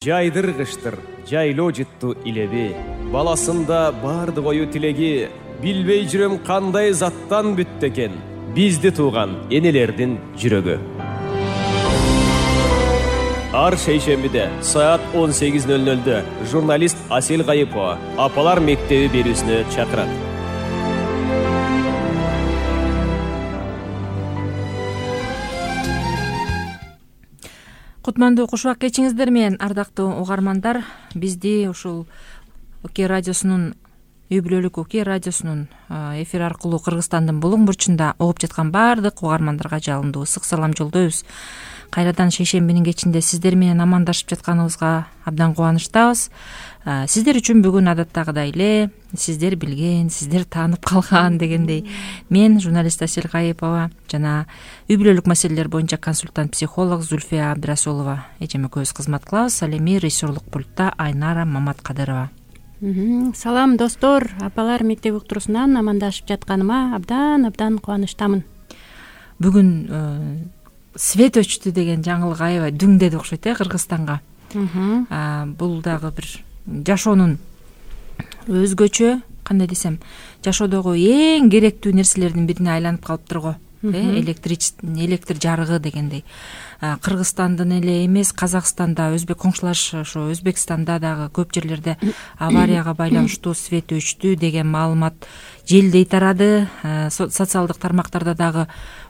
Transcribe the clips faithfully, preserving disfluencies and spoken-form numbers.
Жайдыргыштыр, жайлоо жытту илеби. Баласында барды ою тилеги. Билбей жүрөм кандай заттан бүттү экен. Бизди тууган энелердин жүрөгү. Ар шейшембиде саат он сегиз ноль нольдө журналист Асел Кайыпова апалар мектеби берүүсүнө чакырат. Кутмандуу кушубак кечиңиздер менен, ардактуу угармандар. Бизди ушул Окей радиосунун үй бүлөлүк Окей радиосунун эфир аркылуу Кыргызстандын булуң бурчунда угуп жаткан баардык угармандарга жалындуу ысык салам жолдойбуз. Кайрадан шейшембинин кечинде сиздер менен амандашып жатканыбызга абдан кубанычтабыз. Сиздер үчүн бүгүн адаттагыдай эле сиздер билген, сиздер таанып калган дегендей мен журналист Асел Кайыпова жана үй бүлөлүк маселелер боюнча консультант психолог Зульфия Абдрасулова эжем экөөбүз кызмат кылабыз. Ал эми режиссерлук пультта Айнара Маматкадырова. Салам достор, апалар мектеп уктуруусунан амандашып жатканыма абдан абдан кубанычтамын. Бүгүн свет өчтү деген жаңылык аябай дүңдеди окшойт э Кыргызстанга. Бул дагы бир жашоонун өзгөчө, кандай десем, жашоодогу эң керектүү нерселердин бирине айланып калыптыр го. Электр жарыгы дегендей. Кыргызстандын эле эмес, Казакстанда, өзбек коңшулаш ошо Өзбекстанда дагы көп жерлерде аварияга байланыштуу свет өчтү деген маалымат желдей тарады. Социалдык тармактарда дагы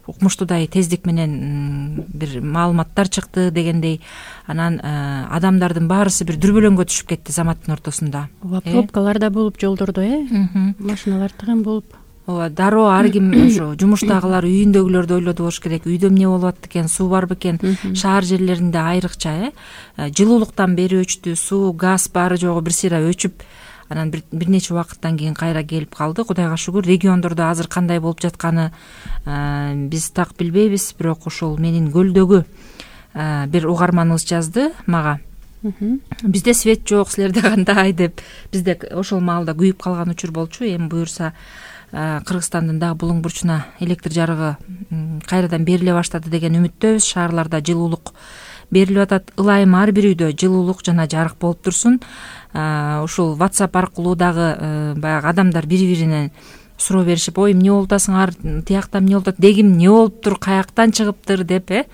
укмуштуудай тездик менен бир маалыматтар чыкты дегендей. Анан адамдардын баарысы бир дүрбөлөңгө түшүп кетти заматтын ортосунда. Ооба, пробкалар да болуп жолдордо, э? Машиналар тыгын болуп. Ооба, дароо ар ким ошо жумуштагылар, үйүндөгүлөрдү ойлоду болуш керек. Үйдө эмне болуп атат экен, суу барбы экен? Шаар жерлеринде айрыкча, э? Жылуулуктан бери өчтү, суу, газ баары жогу бир сыйра өчүп, анан бир нече убакыттан кийин кайра келип калды. Кудайга шүгүр, региондордо азыр кандай болуп жатканы биз так билбейбиз, бирок ушул менин көлдөгү бир угарманыбыз жазды мага. Бизде свет жок, силерде кандай деп. Бизде ошол маалда күйүп калган учур болчу. Эми буюрса Кыргызстандын дагы булуң бурчуна электр жарыгы кайрадан бериле баштады деген үмүттөбүз. Шаарларда жылуулук берилип атат. Ылайым ар бир үйдө жылуулук жана жарык болуп турсун. Ушул WhatsApp аркылуу дагы баягы адамдар бири-биринен суроо беришип, ой, эмне болуп атасыңар, тиякта эмне болуп атат, дегим эмне болуптур, каяктан чыгыптыр деп, э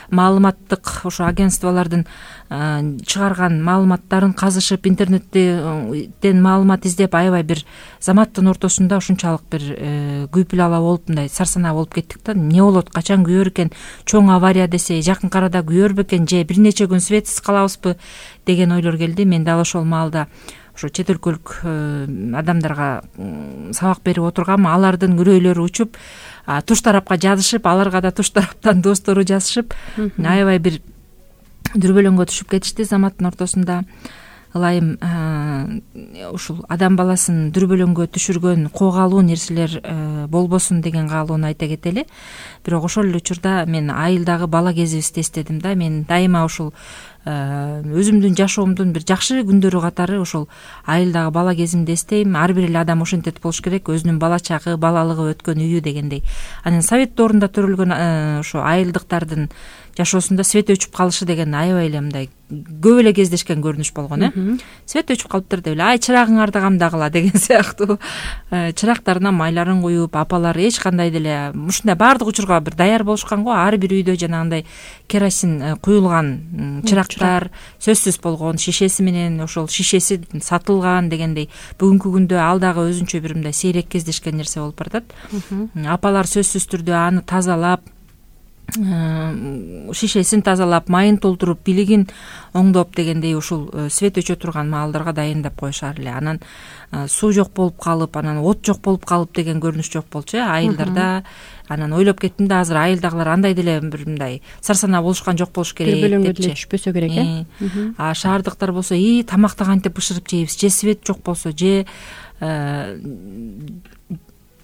маалыматтык ошо агентстволордун чыгарган маалыматтарын казышып, интернеттен маалымат издеп, аябай бир заматтын ортосунда ушунчалык бир күйпүл ала болуп, мындай сарсанаа болуп кеттик да. Эмне болот, качан күйөр экен, чоң авария десе, жакын арада күйөрбү экен, же бир нече күн светсиз калабызбы деген ойлор келди. Мен дал ошол маалда ошо чет өлкөлүк адамдарга сабак берип отургам. Алардын үрөйлөрү учуп, туш тарапка жазышып, аларга да туш тараптан достору жазышып, аябай бир дүрбөлөңгө түшүп кетишти заматтын ортосунда. Ылайым ушул адам баласын дүрбөлөңгө түшүргөн коогалуу нерселер болбосун деген каалоону айта кетели. Бирок ошол эле учурда мен айылдагы бала кезибизди эстедим да. Мен дайыма ушул өзүмдүн жашоомдун бир жакшы күндөрү катары ошол айылдагы бала кезимди эстейм. Ар бир эле адам ошентет болуш керек, өзүнүн бала чагы, балалыгы өткөн үйү дегендей. Анан совет доорунда төрөлгөн ошо айылдыктардын жашоосунда свет өчүп калышы деген аябай эле мындай көп эле кездешкен көрүнүш болгон, э? Свет өчүп калыптыр деп эле, ай, чырагыңарды камдагыла деген сыяктуу чырактарына майларын куюп, апалар эч кандай деле ушундай баардык учурга бир даяр болушкан го. Ар бир үйдө жанагындай керосин куюлган чырактар сөзсүз болгон, шишеси менен, ошол шишеси сатылган дегендей. Бүгүнкү күндө ал дагы өзүнчө бир мындай сейрек кездешкен нерсе болуп баратат. Апалар сөзсүз түрдө аны тазалап, шишесин тазалап, майын толтуруп, билигин оңдоп дегендей ушул свет өчө турган маалдарга дайындап коюшар эле. Анан суу жок болуп калып, анан от жок болуп калып деген көрүнүш жок болчу, э, айылдарда. Анан ойлоп кеттим да, азыр айылдагылар андай деле бир мындай сарсанаа болушкан жок болуш керек депчи. Дүрбөлөңгө деле түшпөсө керек, э. А шаардыктар болсо, и тамакты кантип бышырып жейбиз, же свет жок болсо, же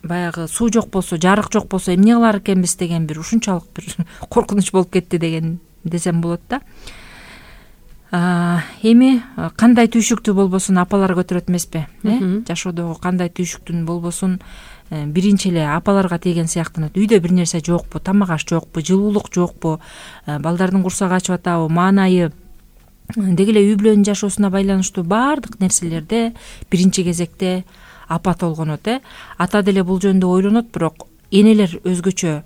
баягы суу жок болсо, жарык жок болсо эмне кылар экенбиз деген бир ушунчалык бир коркунуч болуп кетти деген десем болот да. Эми кандай түйшүктүү болбосун апалар көтөрөт эмеспи, э? Жашоодогу кандай түйшүктүү болбосун биринчи эле апаларга тийген сыяктанат. Үйдө бир нерсе жокпу, тамак аш жокпу, жылуулук жокпу, балдардын курсагы ачып атабы, маанайы деги эле үй бүлөнүн жашоосуна байланыштуу баардык нерселерде биринчи кезекте апа толгонот. э ата деле бул жөнүндө ойлонот, бирок энелер өзгөчө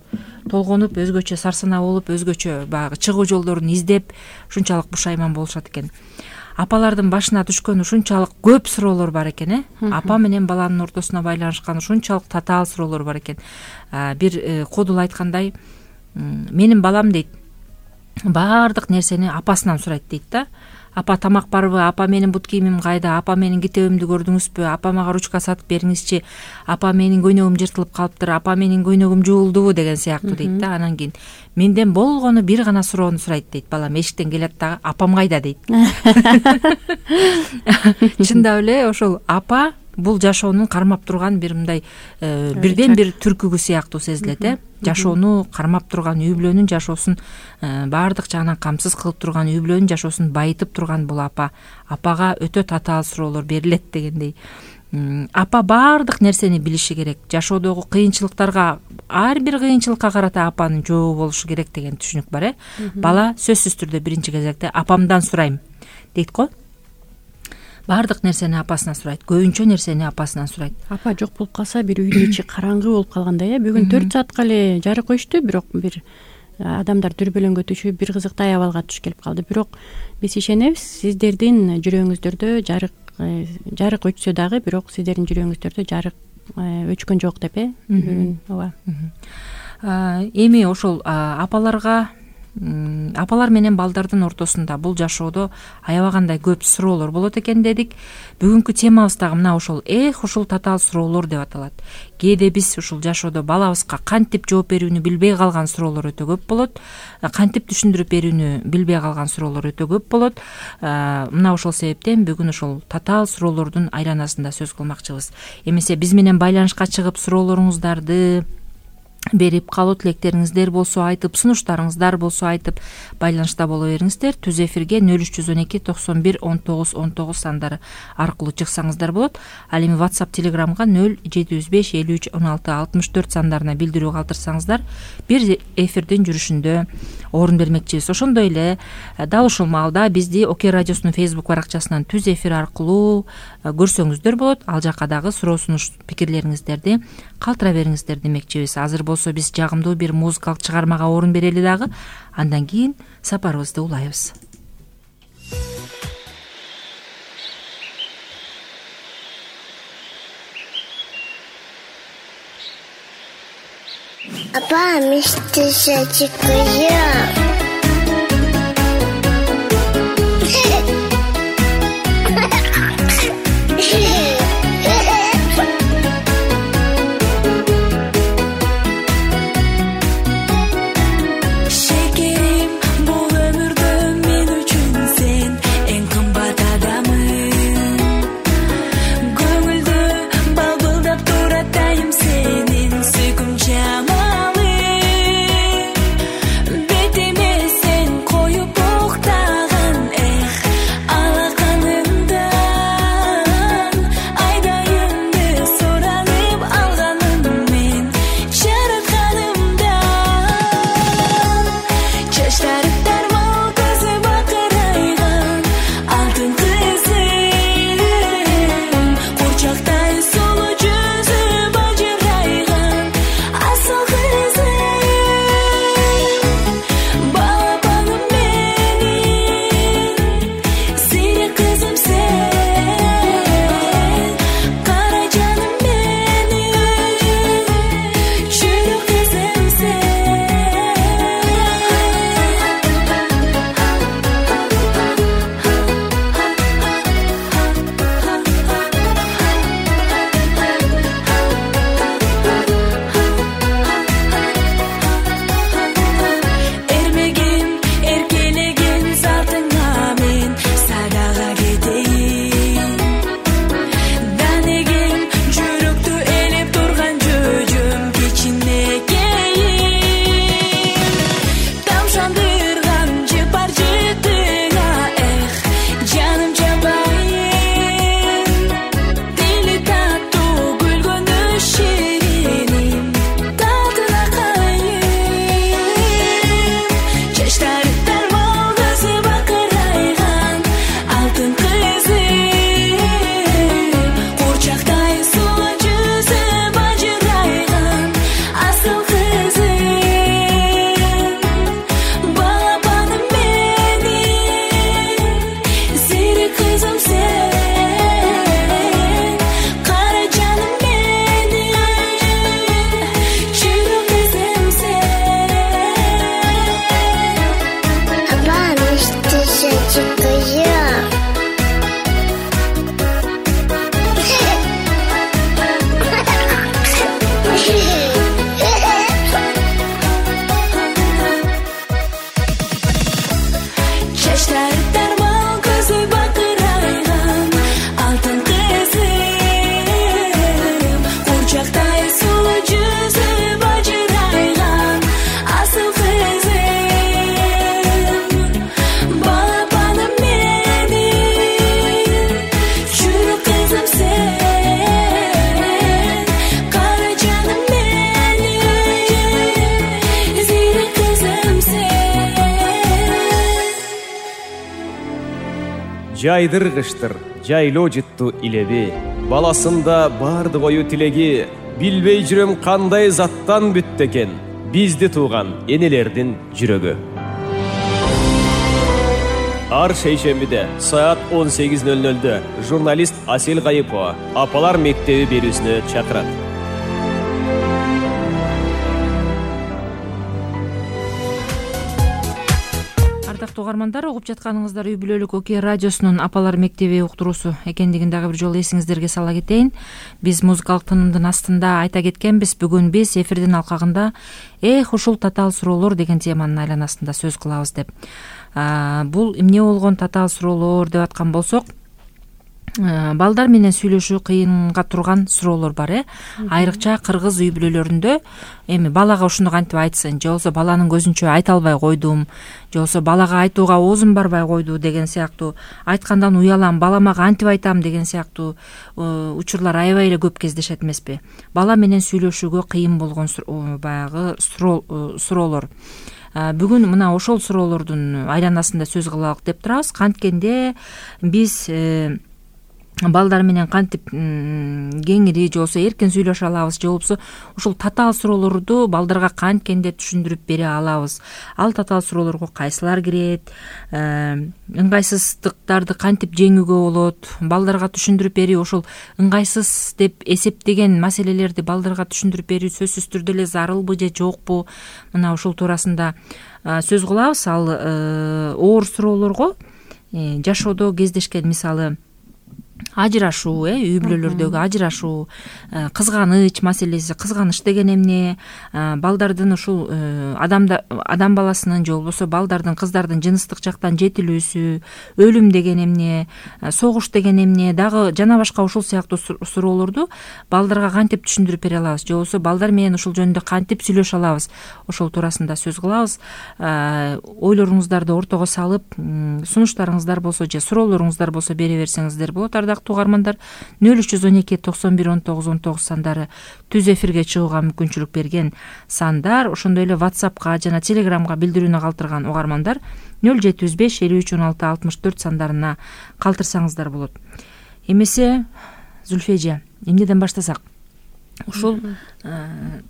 толгонуп, өзгөчө сарсанаа болуп, өзгөчө баягы чыгуу жолдорун издеп ушунчалык бушайман болушат экен. Апалардын башына түшкөн ушунчалык көп суроолор бар экен. э апа менен баланын ортосуна байланышкан ушунчалык татаал суроолор бар экен. Бир кодул айткандай, менин балам дейт, баардык нерсени апасынан сурайт дейт да. Апа тамак барбы, апа менин бут кийимим кайда, апа менин китебимди көрдүңүзбү, апа мага ручка сатып бериңизчи, апа менин көйнөгүм жыртылып калыптыр, апа менин көйнөгүм жуулдубу деген сыяктуу дейт да. Анан кийин менден болгону бир гана суроону сурайт дейт. Балам эшиктен келет дагы, апам кайда дейт. Чындап эле ошол апа бул жашоонун кармап турган бир мындай бирден бир түркүгү сыяктуу сезилет. э жашоону кармап турган, үй бүлөнүн жашоосун баардык жагынан камсыз кылып турган, үй бүлөнүн жашоосун байытып турган бул апа. Апага өтө татаал суроолор берилет дегендей. Апа баардык нерсени билиши керек. Жашоодогу кыйынчылыктарга, ар бир кыйынчылыкка карата апанын жообу болушу керек деген түшүнүк бар. э Бала сөзсүз түрдө биринчи кезекте апамдан сурайм дейт го. Баардык нерсени апасынан сурайт, көбүнчө нерсени апасынан сурайт. Апа жок болуп калса бир үйдүн ичи караңгы болуп калгандай. э Бүгүн төрт саатка эле жарык коюшту, бирок бир адамдар дүрбөлөңгө түшүп, бир кызыктай абалга туш келип калды. Бирок биз ишенебиз, сиздердин жүрөгүңүздөрдө жарык жарык өчсө дагы, бирок сиздердин жүрөгүңүздөрдө жарык өчкөн жок деп э ооба. Эми ошол апаларга апалар менен балдардын ортосунда бул жашоодо аябагандай көп суроолор болот экен дедик. Бүгүнкү темабыз дагы мына ошол эх ушул татаал суроолор деп аталат. Кээде биз ушул жашоодо балабызга кантип жооп берүүнү билбей калган суроолор өтө көп болот. Кантип түшүндүрүп берүүнү билбей калган суроолор өтө көп болот. Мына ошол себептен бүгүн ошол татаал суроолордун айланасында сөз кылмакчыбыз. Эмесе биз менен байланышка чыгып суроолоруңуздарды берип, каалоо тилектериңиздер болсо айтып, сунуштарыңыздар болсо айтып байланышта боло бериңиздер. Түз эфирге нөл үч жүз он эки токсон бир он тогуз он тогуз сандары аркылуу чыксаңыздар болот. Ал эми WhatsApp, Telegramга нөл жети жүз беш элүү үч он алты алтымыш төрт сандарына билдирүү калтырсаңыздар бир эфирдин жүрүшүндө орун бермекчибиз. Ошондой эле дал ушул маалда бизди ОК радиосунун Facebook баракчасынан Түз эфир аркылуу көрсөңүздөр болот. Ал жакка дагы суроо сунуш пикирлериңиздерди калтыра бериңиздер демекчибиз. Азыр болсо биз жагымдуу бир музыкалык чыгармага орун берели дагы, андан кийин сапарыбызды улайбыз. Апа, мистер Betime алтын кызы курчактай сулуу жүзү бажырайган асыл кызы балапаным менин зирек кызым сен кара жаным менин жүрөк кызым сен Абаныш тышачы кызым чачтары тармал көзү бакырайган алтын кызым курчактай сулуу жүзү бажырайган асыл кызым балапаным менин жүрөк кызым сен кара жаным менин зирек кызым сен Жайдыр кыштыр, жайлоо жытту илеби. Баласында бардык ою тилеги. Билбей жүрөм кандай заттан бүттү экен. Бизди тууган энелердин жүрөгү. Ар шейшембиде саат он сегиз ноль нольдө журналист Асел Кайыпова Апалар мектеби берүүсүнө чакырат. Ардактуу угармандар, угуп жатканыңыздар үй бүлөлүк Оке радиосунун Апалар мектеби уктуруусу экендигин дагы бир жолу эсиңиздерге сала кетейин. Биз музыкалык тынымдын астында айта кеткенбиз, бүгүн биз эфирдин алкагында эх ушул татаал суроолор деген теманын айланасында сөз кылабыз деп. А, бул эмне болгон татаал суроолор деп аткан болсок, балдар менен сүйлөшүү кыйынга турган суроолор бар, э айрыкча кыргыз үй бүлөлөрүндө. Эми балага ушуну кантип айтсын, же болбосо баланын көзүнчө айта албай койдум, же болбосо балага айтууга оозум барбай койду деген сыяктуу, айткандан уялам, балама кантип айтам деген сыяктуу учурлар аябай эле көп кездешет эмеспи? Бала менен сүйлөшүүгө кыйын болгон баягы суроолор. Бүгүн мына ошол суроолордун айланасында сөз кылалык деп турабыз. Канткенде биз балдар менен кантип кеңири же болбосо эркин сүйлөшө алабыз, же болбосо ушул татаал суроолорду балдарга канткенде түшүндүрүп бере алабыз. Ал татаал суроолорго кайсылар кирет, ыңгайсыздыктарды кантип жеңүүгө болот, балдарга түшүндүрүп берүү, ошол ыңгайсыз деп эсептеген маселелерди балдарга түшүндүрүп берүү сөзсүз түрдө эле зарылбы же жокпу? Мына ушул туурасында сөз кылабыз. Ал оор суроолорго жашоодо кездешкен, мисалы ажырашуу, э үй бүлөлөрдөгү ажырашуу, кызганыч маселеси. Кызганыч деген эмне? Балдардын ушул адамда адам баласынын же болбосо балдардын, кыздардын жыныстык жактан жетилүүсү, өлүм деген эмне, согуш деген эмне, дагы жана башка ушул сыяктуу суроолорду балдарга кантип түшүндүрүп бере алабыз, же болбосо балдар менен ушул жөнүндө кантип сүйлөшө алабыз? Ошол туурасында сөз кылабыз. Ойлоруңуздарды ортого салып, сунуштарыңыздар болсо же суроолоруңуздар болсо бере берсеңиздер болот. Ардактуу угармандар, нөл үч жүз он эки токсон бир он тогуз он тогуз сандары түз эфирге чыгууга мүмкүнчүлүк берген сандар. Ошондой эле WhatsAppка жана Telegramга билдирүүнү калтырган угармандар нөл жети жүз беш элүү үч он алты алтымыш төрт сандарына калтырсаңыздар болот. Эмесе, Зүлфежа, эмнеден баштасак? Ушул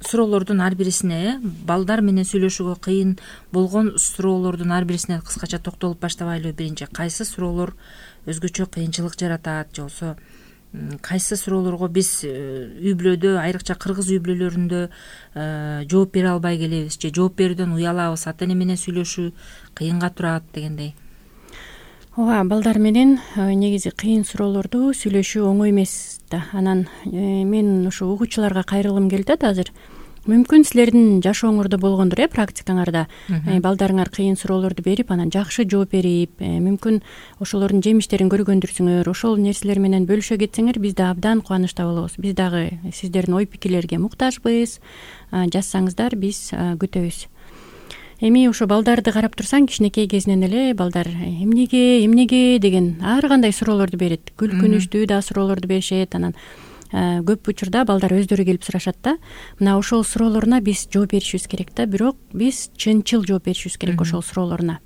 суроолордун ар бирисине, балдар менен сүйлөшүүгө кыйын болгон суроолордун ар бирисине кыскача токтолуп баштабайлыбы? Биринчи, кайсы суроолор өзгөчө кыйынчылык жаратат, же болбосо кайсы суроолорго биз үй бүлөдө, айрыкча кыргыз үй бүлөлөрүндө жооп бере албай келебиз, же жооп берүүдөн уялабыз, ата эне менен сүйлөшүү кыйынга турат дегендей? Ооба, балдар менен негизи кыйын суроолорду сүйлөшүү оңой эмес да. Анан мен ушу угуучуларга кайрылгым келип атат азыр. Мүмкүн силердин жашооңордо болгондур, э практикаңарда балдарыңар кыйын суроолорду берип, анан жакшы жооп берип, мүмкүн ошолордун жемиштерин көргөндүрсүңөр, ошол нерселер менен бөлүшө кетсеңер, биз да абдан кубанычта болобуз. Биз дагы сиздердин ой пикирлерге муктажбыз. Жазсаңыздар, биз күтөбүз. Эми ошо балдарды карап турсаң, кичинекей кезинен эле балдар эмнеге, эмнеге деген ар кандай суроолорду берет. Күлкүнүчтүү да суроолорду беришет. Анан көп учурда балдар өздөрү келип сурашат да. Мына ошол суроолоруна биз жооп беришибиз керек да, бирок биз чынчыл жооп беришибиз керек ошол суроолоруна.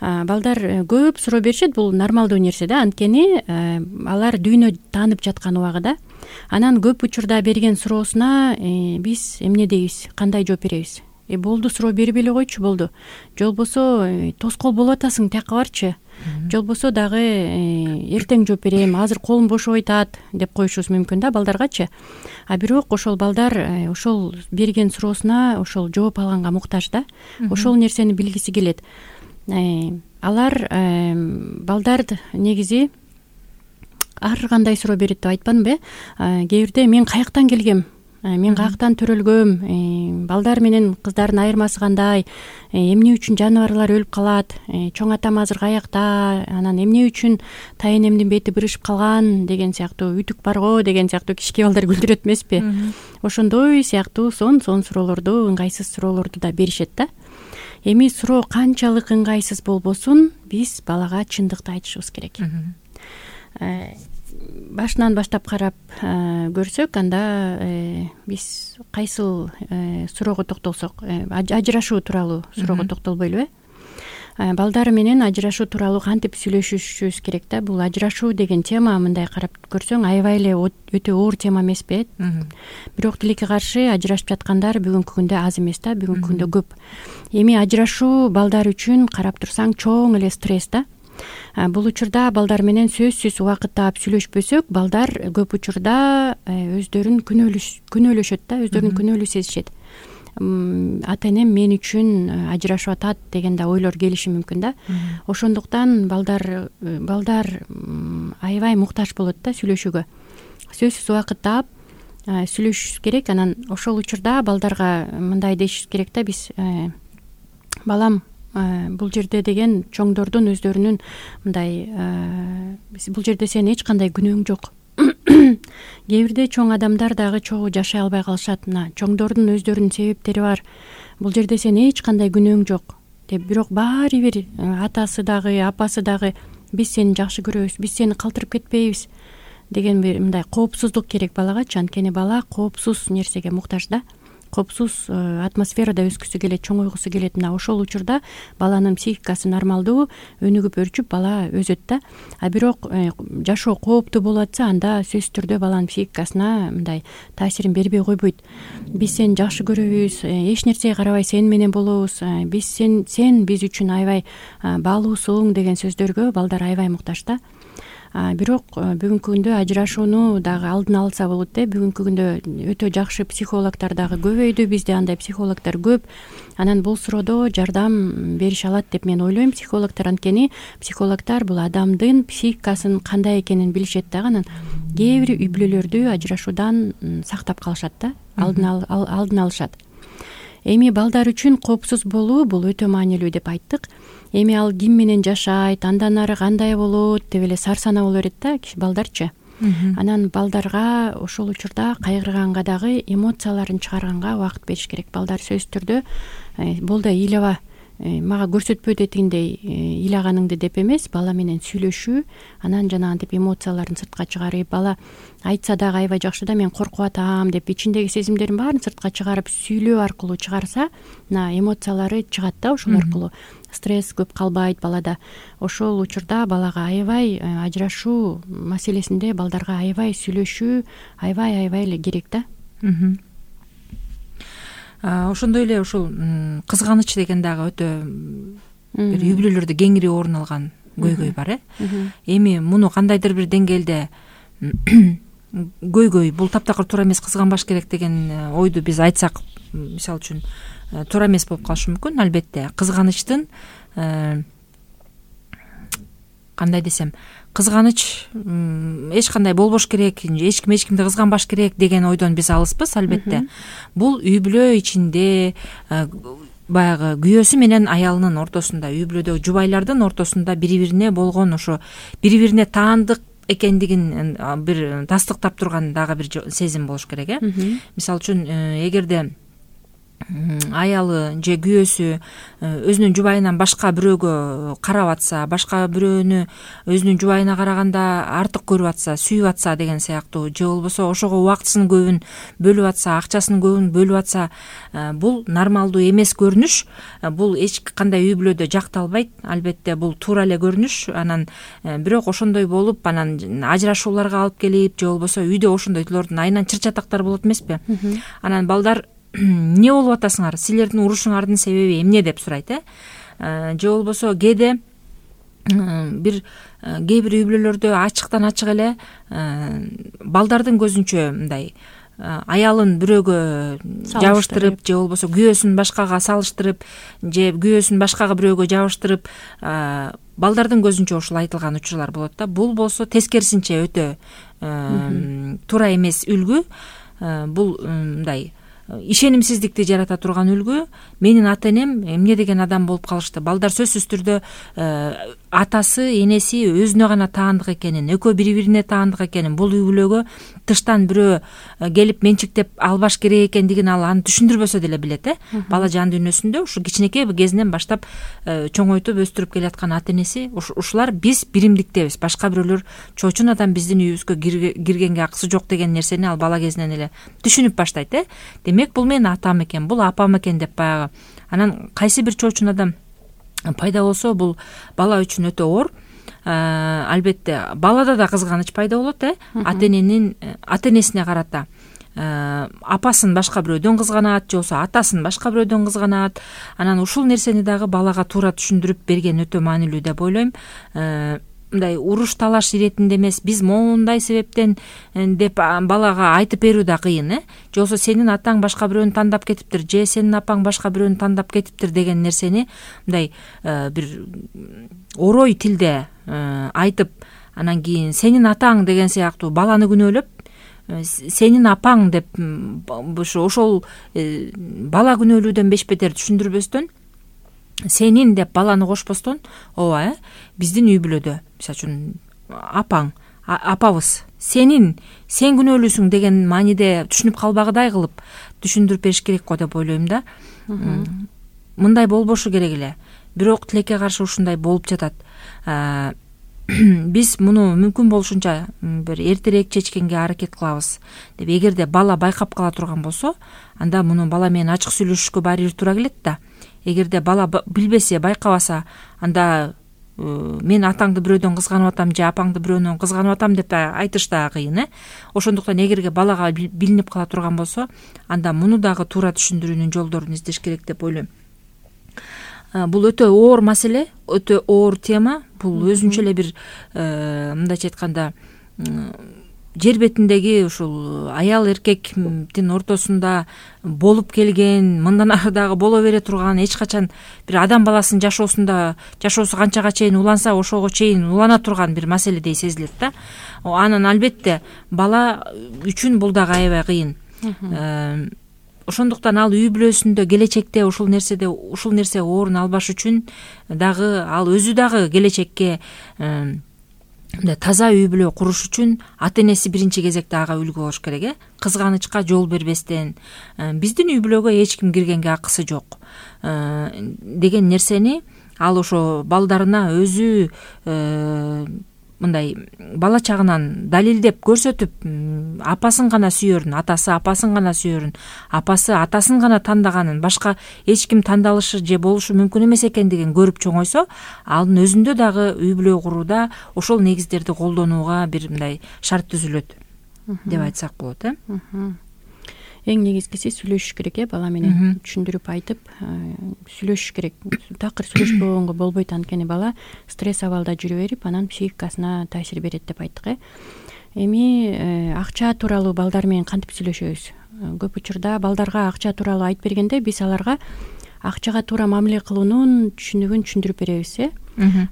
Балдар көп суроо беришет, бул нормалдуу нерсе да, анткени алар дүйнө таанып жаткан убагыда. Анан көп учурда берген суроосуна биз эмне дейбиз, кандай жооп беребиз? Э болду, суроо бербей эле койчу, болду. Же болбосо тоскоол болуп атасың, тияка барчы. Же болбосо дагы эртең жооп берем, азыр колум бошобой атат деп коюшубуз мүмкүн да балдаргачы. А бирок ошол балдар ошол берген суроосуна ошол жооп алганга муктаж да. Ошол нерсени билгиси келет. Алар балдар негизи ар кандай суроо берет деп айтпадымбы? Кээ бирде мен каяктан келгем, мен каяктан төрөлгөм, балдар менен кыздардын айырмасы кандай, эмне үчүн жаныбарлар өлүп калат, чоң атам азыр каякта, анан эмне үчүн тайэнемдин бети бырышып калган деген сыяктуу, үтүк барго деген сыяктуу кичике балдар күлдүрөт эмеспи? Ошондой сыяктуу сон сон суроолорду, ыңгайсыз суроолорду да беришет да. Эми суроо канчалык ыңгайсыз болбосун, биз балага чындыкты айтышыбыз керек. Башынан баштап карап көрсөк, анда биз кайсыл суроого токтолсок, ажырашуу тууралуу суроого токтолбойлубу? Балдар менен ажырашуу тууралуу кантип сүйлөшүшүбүз керек да? Бул ажырашуу деген тема, мындай карап көрсөң, аябай эле өтө оор тема эмеспи? Бирок тилекке каршы ажырашып жаткандар бүгүнкү күндө аз эмес да, бүгүнкү күндө көп. Эми ажырашуу балдар үчүн карап турсаң чоң эле стресс да. Бул учурда балдар менен сөзсүз убакыт таап сүйлөшпөсөк, балдар көп учурда өздөрүн күнөөлөшөт да, өздөрүн күнөөлүү сезишет. Ата энем мен үчүн ажырашып атат деген да ойлор келиши мүмкүн да. Ошондуктан балдар балдар аябай муктаж болот да сүйлөшүүгө. Сөзсүз убакыт таап сүйлөшүш керек. Анан ошол учурда балдарга мындай дешиш керек да, биз балам, бул жерде деген чоңдордун өздөрүнүн мындай бул жерде сенин эч кандай күнөөң жок. Кээ бирде чоң адамдар дагы чогуу жашай албай калышат. Мына чоңдордун өздөрүнүн себептери бар. Бул жерде сенин эч кандай күнөөң жок деп, бирок баары бир атасы дагы, апасы дагы биз сени жакшы көрөбүз, биз сени калтырып кетпейбиз деген бир мындай коопсуздук керек балагачы. Анткени бала коопсуз нерсеге муктаж да. Коопсуз атмосферада өскүсү келет, чоңойгусу келет. Мына ошол учурда баланын психикасы нормалдуу, өнүгүп өрчүп бала өсөт да. А бирок жашоо кооптуу болуп атса, анда сөзсүз түрдө баланын психикасына мындай таасирин бербей койбойт. Биз сени жакшы көрөбүз, эч нерсеге карабай сени менен болобуз, биз сен сен биз үчүн аябай баалуусуң деген сөздөргө балдар аябай муктаж да. Бирок бүгүнкү күндө ажырашууну дагы алдын алса болот да. Бүгүнкү күндө өтө жакшы психологдор дагы көбөйдү, бизде андай психологдор көп. Анан бул суроодо жардам берише алат деп мен ойлойм психологдор, анткени психологдор бул адамдын психикасын кандай экенин билишет дагы. Анан кээ бир үй бүлөлөрдү ажырашуудан сактап калышат да, алдын алдын алышат. Эми балдар үчүн коопсуз болуу бул өтө маанилүү деп айттык. Эми ал ким менен жашайт, андан ары кандай болот деп эле сарсанаа боло берет да балдарчы. Анан балдарга ошол учурда кайгырганга дагы эмоцияларын чыгарганга убакыт бериш керек. Балдар сөзсүз түрдө болду ыйлаба, мага көрсөтпө дегендей ыйлаганыңды деп эмес, бала менен сүйлөшүү, анан жанагынтип эмоцияларын сыртка чыгарып, бала айтса дагы аябай жакшы да, мен коркуп атам деп ичиндеги сезимдерин баарын сыртка чыгарып сүйлөө аркылуу чыгарса, мына эмоциялары чыгат да, ошол аркылуу стресс көп калбайт балада. Ошол учурда балага аябай ажырашуу маселесинде балдарга аябай сүйлөшүү аябай аябай эле керек да. Ошондой эле ушул кызганыч деген дагы өтө бир үй бүлөлөрдө кеңири орун алган көйгөй бар э. Эми муну кандайдыр бир деңгээлде көйгөй бул таптакыр туура эмес, кызганбаш керек деген ойду биз айтсак, мисалы үчүн туура эмес болуп калышы мүмкүн. Албетте кызганычтын кандай десем, кызганыч эч кандай болбош керек, эч ким эч кимди кызганбаш керек деген ойдон биз алыспыз. Албетте бул үй бүлө ичинде баягы күйөөсү менен аялынын ортосунда, үй бүлөдөгү жубайлардын ортосунда бири бирине болгон ошо бири бирине таандык экендигин бир тастыктап турган дагы бир сезим болуш керек э. Мисалы үчүн эгерде аялы же күйөөсү өзүнүн жубайынан башка бирөөгө карап атса, башка бирөөнү өзүнүн жубайына караганда артык көрүп атса, сүйүп атса деген сыяктуу, же болбосо ошого убактысынын көбүн бөлүп атса, акчасынын көбүн бөлүп атса, бул нормалдуу эмес көрүнүш. Бул эч кандай үй бүлөдө жакталбайт. Албетте бул туура эле көрүнүш. Анан бирок ошондой болуп, анан ажырашууларга алып келип, же болбосо үйдө ошондойдулордун айынан чыр-чатактар болот эмеспи? Анан балдар эмне болуп атасыңар, силердин урушуңардын себеби эмне деп сурайт, э же болбосо кээде бир кээ бир үй бүлөлөрдө ачыктан ачык эле балдардын көзүнчө мындай аялын бирөөгө жабыштырып, же болбосо күйөөсүн башкага салыштырып, же күйөөсүн башкага бирөөгө жабыштырып, балдардын көзүнчө ушул айтылган учурлар болот да. Бул болсо тескерисинче өтө туура эмес үлгү. Бул мындай ишенимсиздикти жарата турган үлгү. Менин ата энем эмне деген адам болуп калышты. Балдар сөзсүз түрдө атасы, энеси өзүнө гана таандык экенин, экөө бири-бирине таандык экенин, бул үй бүлөгө тыштан бирөө келип менчиктеп албаш керек экендигин ал аны түшүндүрбөсө деле билет, э. Бала жан дүйнөсүндө ушу кичинекей кезинен баштап чоңойтуп өстүрүп келаткан ата энеси, ушулар биз биримдиктебиз, башка бирөөлөр чоочун адам биздин үйүбүзгө киргенге акысы жок деген нерсени ал бала кезинен эле түшүнүп баштайт, э. Демек бул менин атам экен, бул апам экен деп баягы. Анан кайсы бир чоочун адам пайда болсо, бул бала үчүн өтө оор. Албетте балада да кызганыч пайда болот, э. Ата эненин ата энесине карата апасын башка бирөөдөн кызганат, же болбосо атасын башка бирөөдөн кызганат. Анан ушул нерсени дагы балага туура түшүндүрүп берген өтө маанилүү деп ойлойм. Мындай уруш талаш иретинде эмес, биз моундай себептен деп балага айтып берүү да кыйын, э. Же болбосо сенин атаң башка бирөөнү тандап кетиптир, же сенин апаң башка бирөөнү тандап кетиптир деген нерсени мындай бир орой тилде айтып, анан кийин сенин атаң деген сыяктуу баланы күнөөлөп, сенин апаң деп ошол бала күнөөлүүдөн бешбетер түшүндүрбөстөн, сенин деп баланы кошпостон, ооба, э, биздин үй бүлөдө мисалы үчүн апаң, апабыз, сенин, сен күнөөлүүсүң деген мааниде түшүнүп калбагыдай кылып түшүндүрүп бериш керек го деп ойлойм да. Мындай болбошу керек эле. Бирок тилекке каршы ушундай болуп жатат. Биз муну мүмкүн болушунча бир эртерээк чечкенге аракет кылабыз деп. Эгерде бала байкап кала турган болсо, анда муну бала менен ачык сүйлөшүшкө баары бир туура келет да. Эгерде бала билбесе, байкабаса, анда мен атаңды бирөөдөн кызганып атам же апаңды бирөөнөн кызганып атам деп айтыш да кыйын, э. Ошондуктан эгерге балага билинип кала турган болсо, анда муну дагы туура түшүндүрүүнүн жолдорун издеш керек деп ойлойм. Бул өтө оор маселе, өтө оор тема. Бул өзүнчө эле бир мындайча айтканда жер бетиндеги ушул аял эркектин ортосунда болуп келген, мындан ары дагы боло бере турган, эч качан бир адам баласынын жашоосунда жашоосу канчага чейин уланса, ошого чейин улана турган бир маселедей сезилет да. Анан албетте бала үчүн бул дагы аябай кыйын. Ошондуктан ал үй бүлөсүндө келечекте ушул нерседе ушул нерсе орун албаш үчүн дагы ал өзү дагы келечекке таза үй бүлө куруш үчүн ата энеси биринчи кезекте ага үлгү болуш керек, э. Кызганычка жол бербестен, биздин үй бүлөгө эч ким киргенге акысы жок деген нерсени ал ошо балдарына өзү мындай бала чагынан далилдеп көрсөтүп, апасын гана сүйөрүн, атасы апасын гана сүйөрүн, апасы атасын гана тандаганын, башка эч ким тандалышы же болушу мүмкүн эмес экендигин көрүп чоңойсо, анын өзүндө дагы үй бүлө курууда ошол негиздерди колдонууга бир мындай шарт түзүлөт деп айтсак болот, э. Эң негизгиси сүйлөшүш керек, э, бала менен түшүндүрүп айтып, сүйлөшүш керек. Такыр сүйлөшпөгөнгө болбойт, анткени бала стресс абалда жүрө берип, анан психикасына таасир берет деп айттык, э. Эми акча тууралуу балдар менен кантип сүйлөшөбүз? Көп учурда балдарга акча тууралуу айтып бергенде биз аларга акчага туура мамиле кылуунун түшүнүгүн түшүндүрүп беребиз, э.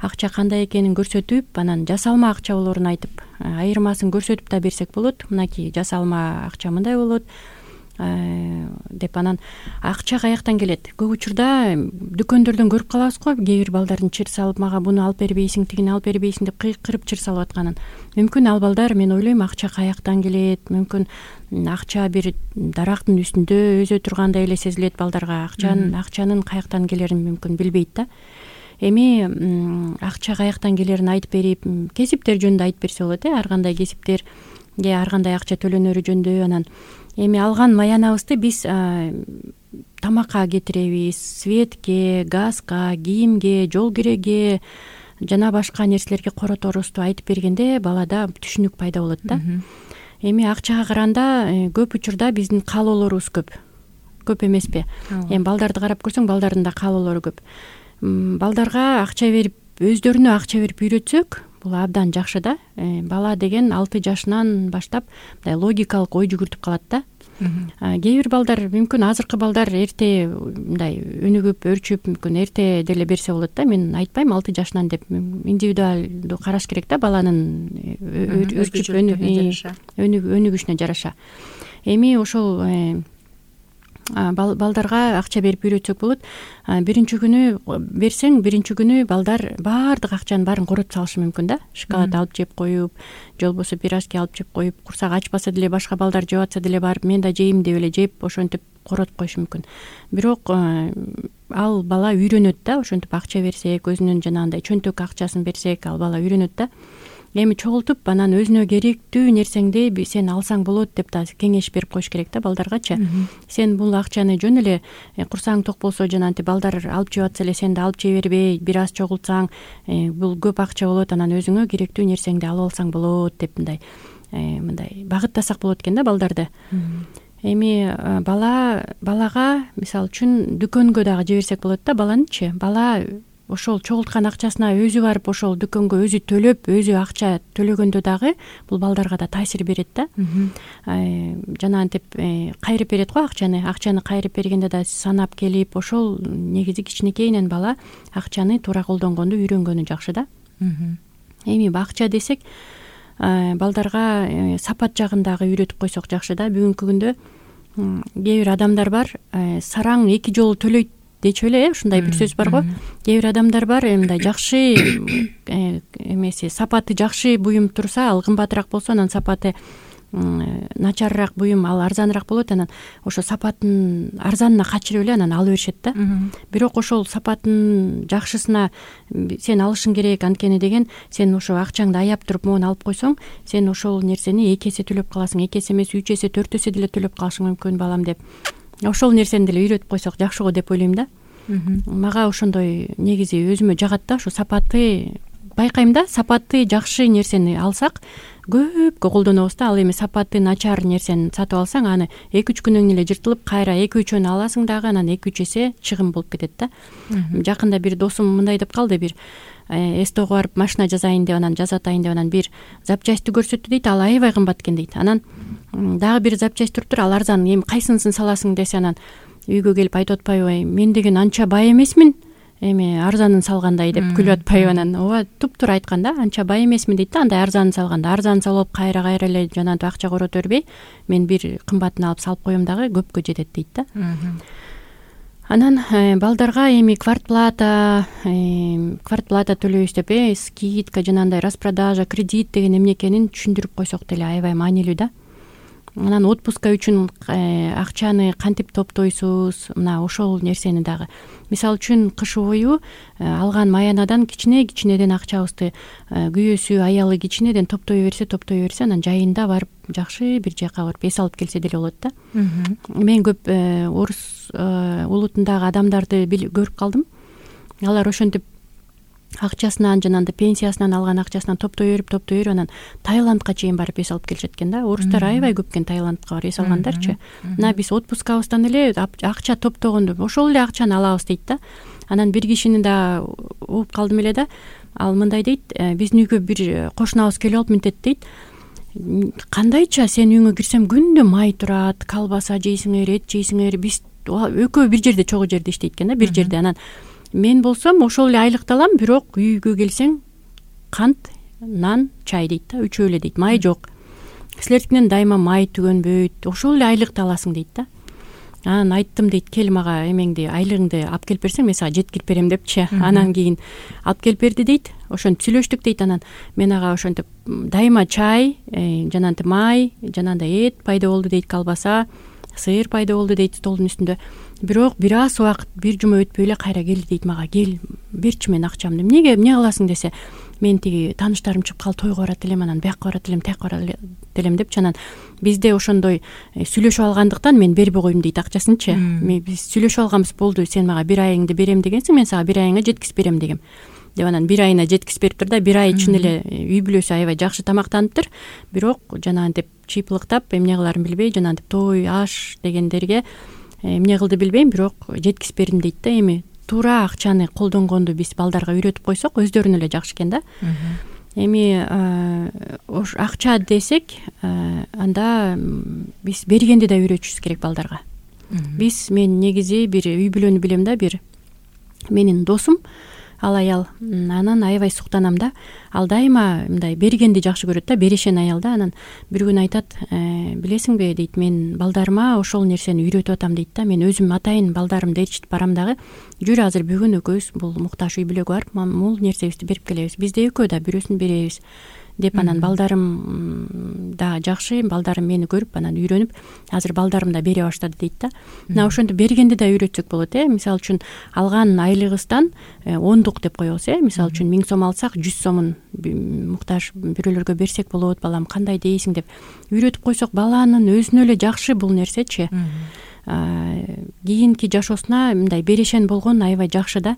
Акча кандай экенин көрсөтүп, анан жасалма акча болоорун айтып, айырмасын көрсөтүп да берсек болот. Мынакей жасалма акча мындай болот. деп анан акча каяктан келет? Көп учурда дүкөндөрдөн көрүп калабыз го, кээ бир балдардын чыр салып мага буну алып бербейсиң, тигини алып бербейсиң деп кыйкырып чыр салып атканын. Мүмкүн ал балдар, мен ойлойм, акча каяктан келет, мүмкүн акча бир дарактын үстүндө өзө тургандай эле сезилет балдарга. Акчанын акчанын каяктан келерин мүмкүн билбейт да. Эми акча каяктан келерин айтып берип, кесиптер жөнүндө айтып берсе болот э, ар кандай кесиптер же ар кандай акча төлөнөрү жөнүндө. Анан эми алган маянабызды биз тамакка кетиребиз, светке, газга, кийимге, жол киреге жана башка нерселерге короторубузду айтып бергенде балада түшүнүк пайда болот да. Эми акчага караганда көп учурда биздин каалоолорубуз көп. Көп эмеспи? Эми балдарды карап көрсөң, балдардын да каалоолору көп. Балдарга акча берип, өздөрүнө акча берип үйрөтсөк, бул абдан жакшы да. Бала деген алты жашынан баштап мындай логикалык ой жүгүртүп калат да. Кээ бир балдар, мүмкүн азыркы балдар эрте мындай өнүгүп, өрчүп, мүмкүн эрте деле берсе болот да. Мен айтпайм алты жашынан деп, индивидуалдуу караш керек да, баланын өрчүп өнүгүшүнө жараша. Эми ошол балдарга акча берип үйрөтсөк болот. Биринчи күнү берсең, биринчи күнү балдар баардык акчанын баарын коротуп салышы мүмкүн да. Шоколад алып жеп коюп, же болбосо пирожки алып жеп коюп, курсак ачпаса деле, башка балдар жеп атса деле барып мен да жейм деп эле жеп, ошентип коротуп коюшу мүмкүн. Бирок ал бала үйрөнөт да, ошентип акча берсек, өзүнүн жанагындай чөнтөк акчасын берсек, ал бала үйрөнөт да. Эми чогултуп анан өзүнө керектүү нерсеңди сен алсаң болот деп да кеңеш берип коюш керек да балдаргачы. Сен бул акчаны жөн эле курсаң ток болсо жанагынтип балдар алып жеп атса эле сен да алып жей бербей, бир аз чогултсаң, бул көп акча болот, анан өзүңө керектүү нерсеңди алып алсаң болот деп мындай мындай багыттасак болот экен да балдарды. Эми бала балага мисалы үчүн дүкөнгө дагы жиберсек болот да баланычы. Бала ошол чогулткан акчасына өзү барып ошол дүкөнгө өзү төлөп, өзү акча төлөгөндө дагы бул балдарга да таасир берет да. Жанагынтип кайрып берет го акчаны. Акчаны кайрып бергенде да санап келип, ошол негизи кичинекейинен бала акчаны туура колдонгонду үйрөнгөнү жакшы да. Эми акча десек, балдарга сапат жагын дагы үйрөтүп койсок жакшы да. Бүгүнкү күндө кээ бир адамдар бар, сараң эки жолу төлөйт дечү эле, ушундай бир сөз бар го. Кээ бир адамдар бар, мындай жакшы эмеси, сапаты жакшы буюм турса, ал кымбатыраак болсо, анан сапаты начарыраак буюм ал арзаныраак болот. Анан ошо сапатын арзанына качырып эле анан алып беришет да. Бирок ошол сапатын жакшысына сен алышың керек, анткени деген сен ошо акчаңды аяп туруп могуну алып койсоң, сен ошол нерсени эки эсе төлөп каласың, эки эсе эмес үч эсе, төрт эсе деле төлөп калышың мүмкүн балам деп. Ошол нерсени деле үйрөтүп койсок жакшы го деп ойлойм да. Мага ошондой негизи өзүмө жагат да, ошо сапаты байкайм да, сапаты жакшы нерсени алсак көпкө колдонобуз да. Ал эми сапаты начар нерсени сатып алсаң, аны эки үч күнөн эле жыртылып, кайра эки үчөөнү аласың дагы, анан эки үч эсе чыгым болуп кетет да. Жакында бир досум мындай деп калды, бир эстого барып машина жасайын деп, анан жасап атайын деп, анан бир запчастьты көрсөттү дейт, ал аябай кымбат экен дейт. Анан дагы бир запчасть туруптур, ал арзан, эми кайсынысын саласың десе, анан үйгө келип айтып атпайбы, мен деген анча бай эмесмин, эми арзанын салгандай деп күлүп атпайбы. Анан ооба туптуура айткан да, анча бай эмесмин дейт да, андай арзанын салганда. Арзанын салып кайра кайра эле жанагынтип акча корото бербей, мен бир кымбатын алып салып коем дагы көпкө жетет дейт да. Анан балдарга эми квартплата, квартплата төлөйбүз деп, э скидка, жанагындай распродажа, кредит деген эмне экенин түшүндүрүп койсок деле аябай маанилүү да. Анан отпуска үчүн акчаны кантип топтойсуз, мына ошол нерсени дагы. Мисалы үчүн кыш бою алган маянадан кичине-кичинеден акчабызды күйөөсү, аялы кичинеден топтой берсе, топтой берсе, анан жайында барып жакшы бир жака барып эс алып келсе деле болот да. Мен көп орус улутундагы адамдарды көрүп калдым. Алар ошентип акчасынан, жанагындай пенсиясынан алган акчасынан топтой берип, топтой берип, анан Таиландка чейин барып эс алып келишет экен да. Орустар аябай көп экен Таиландка барып эс алгандарчы. Мына биз отпускабыздан эле акча топтогонду ошол эле акчаны алабыз дейт да. Анан бир кишини да угуп калдым эле да. Ал мындай дейт, биздин үйгө бир кошунабыз келип алып мынтет дейт. Кандайча сен үйүңө кирсем күндө май турат, колбаса жейсиңер, эт жейсиңер. Биз экөө бир жерде, чогуу жерде иштейт экен да, бир жерде. Анан мен болсом ошол эле айлыкты алам, бирок үйгө келсең кант, нан, чай дейт да, үчөө эле дейт, май жок. силердикинен дайыма май түгөнбөйт, ошол эле айлыкты аласың дейт да. Анан айттым дейт, кел мага эмеңди, айлыгыңды алып келип берсең, мен сага жеткирип берем депчи. Анан кийин алып келип берди дейт. Ошентип сүйлөштүк дейт. Анан мен ага ошентип дайыма чай, жанагынтип май, жанагындай эт пайда болду дейт, колбаса, сыйыр пайда болду дейт столдун үстүндө. Бирок бир аз убакыт, бир жума өтпөй эле кайра келди дейт мага. Кел, берчи мен акчамды. Эмнеге, эмне кыласың десе, мен тиги тааныштарым чыгып калып тойго барат элем, анан бияка барат элем, тияка барат элем депчи. Анан бизде ошондой сүйлөшүп алгандыктан мен бербей койдум дейт акчасынчы. Биз сүйлөшүп алганбыз, болду, сен мага бир айыңды берем дегенсиң, мен сага бир айыңа жеткизип берем дегем. Деп анан бир айына жеткизип бериптир да, бир ай чын эле үй бүлөсү аябай жакшы тамактаныптыр. Бирок жанагынтип чыйпылыктап, эмне кыларын билбей, жанагынтип той, аш дегендерге эмне кылды билбейм, бирок жеткизип бердим дейт да. Эми туура акчаны колдонгонду биз балдарга үйрөтүп койсок, өздөрүнө эле жакшы экен да. Эми ош акча десек, анда биз бергенди да үйрөтүшүбүз керек балдарга. Биз мен негизи бир үй бүлөнү билем да, бир менин досум, ал аял, анан аябай суктанам да. Ал дайыма мындай бергенди жакшы көрөт да, берешен аял да. Анан бир күн айтат, билесиңби дейт, мен балдарыма ошол нерсени үйрөтүп атам дейт да. Мен өзүм атайын балдарымды ээрчитип барам дагы. Жүр, азыр бүгүн экөөбүз бул муктаж үй бүлөгө барып, мул нерсебизди берип келебиз. Бизде экөө да бирөөсүн беребиз деп. Анан балдарым да жакшы, балдарым мени көрүп анан үйрөнүп, азыр балдарым да бере баштады дейт да. Мына ошентип бергенди да үйрөтсөк болот, э. Мисалы үчүн алган айлыгыбыздан ондук деп коебуз, э. Мисалы үчүн миң сом алсак, жүз сомун муктаж бирөөлөргө берсек болот, балам кандай дейсиң деп үйрөтүп койсок, баланын өзүнө эле жакшы бул нерсечи. Кийинки жашоосуна мындай берешен болгон аябай жакшы да.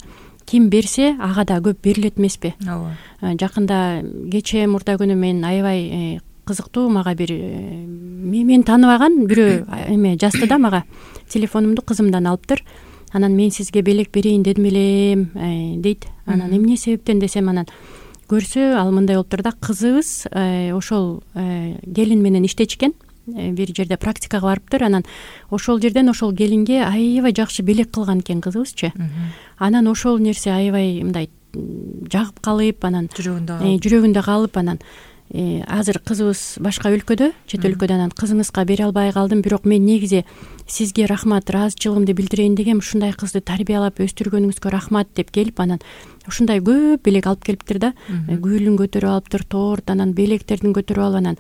Ким берсе, ага да көп берилет эмеспи? Ооба. Жакында кечээ мурда күнү мен аябай кызыктуу, мага бир мен тааныбаган бирөө эме жазды да мага. Телефонумду кызымдан алыптыр. Анан мен сизге белек берейин дедим элем дейт. Анан эмне себептен десем, анан көрсө ал мындай болуптур да, кызыбыз ошол келин менен иштечкен. Бир жерде практикага барыптыр. Анан ошол жерден ошол келинге аябай жакшы белек кылган экен кызыбызчы. Анан ошол нерсе аябай мындай жагып калып, анан жүрөгүндө калып, анан азыр кызыбыз башка өлкөдө, чет өлкөдө. Анан кызыңызга бере албай калдым, бирок мен негизи сизге рахмат, ыраазычылыгымды билдирейин дегем. Ушундай кызды тарбиялап өстүргөнүңүзгө рахмат деп келип, анан ушундай көп белек алып келиптир да. Гүлүн көтөрүп алыптыр, торт, анан белектердин көтөрүп алып, анан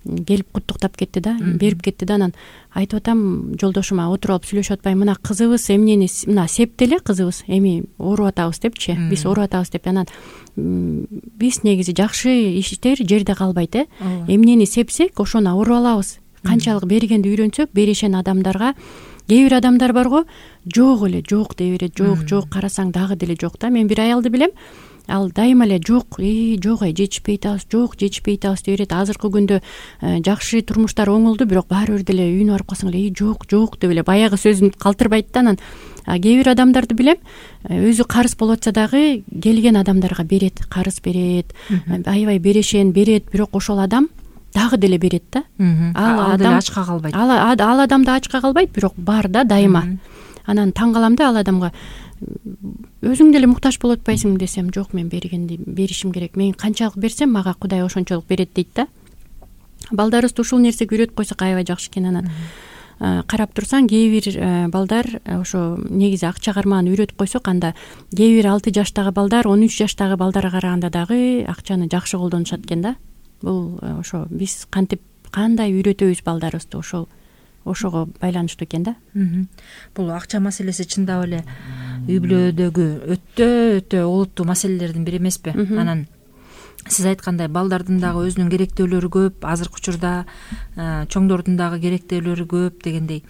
келип куттуктап кетти да, берип кетти да. Анан айтып атам жолдошума, отуруп алып сүйлөшүп атпайм, мына кызыбыз эмнени, мына септи эле кызыбыз, эми ооруп атабыз депчи, биз ооруп атабыз деп. Анан биз негизи жакшы иштер жерде калбайт, э. Эмнени сепсек, ошону ооруп алабыз. Канчалык бергенди үйрөнсөк, берешен адамдарга, кээ бир адамдар барго, жок эле, жок дей берет, жок, жок, карасаң дагы деле жок да. Мен бир аялды билем, ал дайыма эле жок, э, жок, ай жетишпей атабыз, жок, жетишпей атабыз деп берет. Азыркы күндө жакшы турмуштар оңолду, бирок баары бир деле үйүнө барып калсаң эле, жок, жок деп эле баягы сөзүн калтырбайт да. Анан кээ бир адамдарды билем, өзү карыз болуп атса дагы келген адамдарга берет, карыз берет, аябай берешен берет, бирок ошол адам дагы деле берет да. Ал адам ачка калбайт. Ал адам да ачка калбайт, бирок бар да дайыма. Анан таң калам да, ал адамга өзүң деле муктаж болуп атпайсың десем, жок, мен бергенди беришим керек. Мен канчалык берсем, мага Кудай ошончолук берет дейт да. Балдарыбызды ушул нерсеге үйрөтүп койсок аябай жакшы экен. Анан карап турсаң, кээ бир балдар ошо негизи акча кармагын үйрөтүп койсок, анда кээ бир алты жаштагы балдар он үч жаштагы балдарга караганда дагы акчаны жакшы колдонушат экен да. Бул ошо биз кантип кандай үйрөтөбүз балдарыбызды, ошол ошого байланыштуу экен да. Бул акча маселеси чындап эле үй бүлөдөгү өтө өтө олуттуу маселелердин бири эмеспи? Анан сиз айткандай балдардын дагы өзүнүн керектөөлөрү көп, азыркы учурда чоңдордун дагы керектөөлөрү көп дегендей.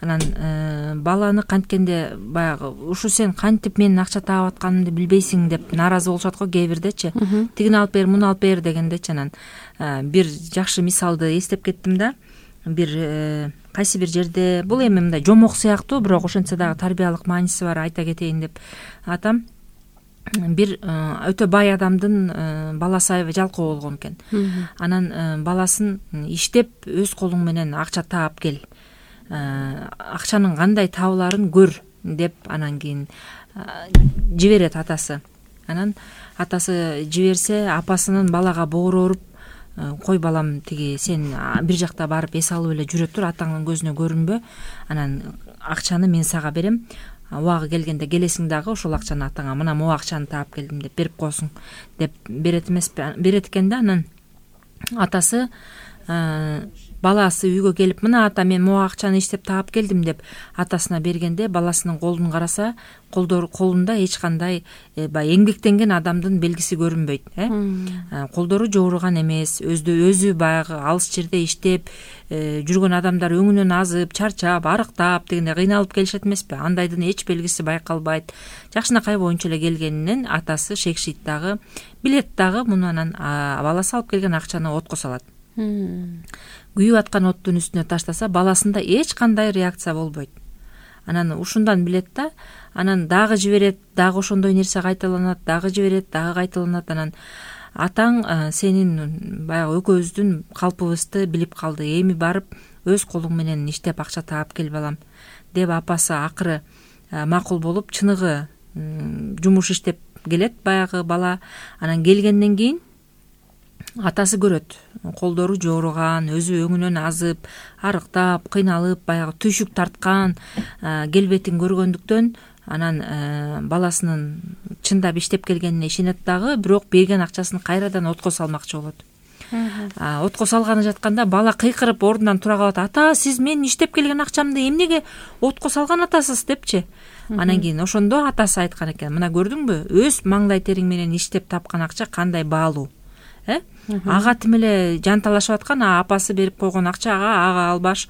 Анан баланы канткенде баягы ушу сен кантип менин акча таап атканымды билбейсиң деп нааразы болушат го кээ бирдечи. Тигини алып бер, муну алып бер дегендечи. Анан бир жакшы мисалды эстеп кеттим да. Бир кайсы бир жерде, бул эми мындай жомок сыяктуу, бирок ошентсе дагы тарбиялык мааниси бар, айта кетейин деп атам. Бир өтө бай адамдын баласы аябай жалкоо болгон экен. Анан баласын иштеп өз колуң менен акча таап кел, акчанын кандай табыларын көр деп анан кийин жиберет атасы. Анан атасы жиберсе, апасынын балага боору ооруп, кой балам, тиги сен бир жакта барып эс алып эле жүрө тур, атаңдын көзүнө көрүнбө, анан акчаны мен сага берем, убагы келгенде келесиң дагы ошол акчаны атаңа, мына могу акчаны таап келдим деп берип коесуң деп берет эмеспи, берет экен да. Анан атасы баласы үйгө келип, мына ата мен могу акчаны иштеп таап келдим деп атасына бергенде, баласынын колун караса, колдор колунда эч кандай баягы эмгектенген адамдын белгиси көрүнбөйт, э колдору жооруган эмес, өзү өзү баягы алыс жерде иштеп жүргөн адамдар өңүнөн азып, чарчап, арыктап дегенде кыйналып келишет эмеспи, андайдын эч белгиси байкалбайт. Жакшынакай боюнча эле келгенинен атасы шекшийт дагы, билет дагы муну. Анан баласы алып келген акчаны отко салат. Күйүп аткан оттун үстүнө таштаса, баласында эч кандай реакция болбойт. Анан ушундан билет да, анан дагы жиберет, дагы ошондой нерсе кайталанат, дагы жиберет, дагы кайталанат. Анан атаң сенин баягы экөөбүздүн калпыбызды билип калды, эми барып өз колуң менен иштеп акча таап кел балам деп апасы акыры макул болуп, чыныгы жумуш иштеп келет баягы бала. Анан келгенден кийин атасы көрөт, колдору жооруган, өзү өңүнөн азып, арыктап, кыйналып, баягы түйшүк тарткан келбетин көргөндүктөн анан баласынын чындап иштеп келгенине ишенет дагы, бирок берген акчасын кайрадан отко салмакчы болот. Отко салганы жатканда бала кыйкырып ордунан тура калат. Ата, сиз мен иштеп келген акчамды эмнеге отко салган атасыз депчи. Анан кийин ошондо атасы айткан экен, мына көрдүңбү, өз маңдай териң менен иштеп тапкан акча кандай баалуу, э ага тим эле жанталашып аткан, апасы берип койгон акчага ага ал баш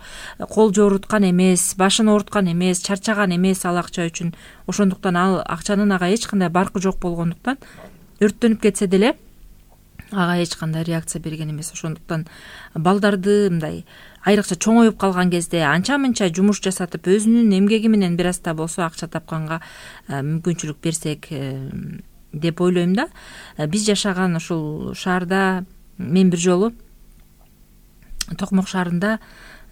кол жооруткан эмес, башын ооруткан эмес, чарчаган эмес ал акча үчүн. Ошондуктан ал акчанын ага эч кандай баркы жок болгондуктан өрттөнүп кетсе деле ага эч кандай реакция берген эмес. Ошондуктан балдарды мындай айрыкча чоңоюп калган кезде анча-мынча жумуш жасатып, өзүнүн эмгеги менен бир аз да болсо акча тапканга мүмкүнчүлүк берсек деп ойлойм да. Биз жашаган ушул шаарда мен бир жолу Токмок шаарында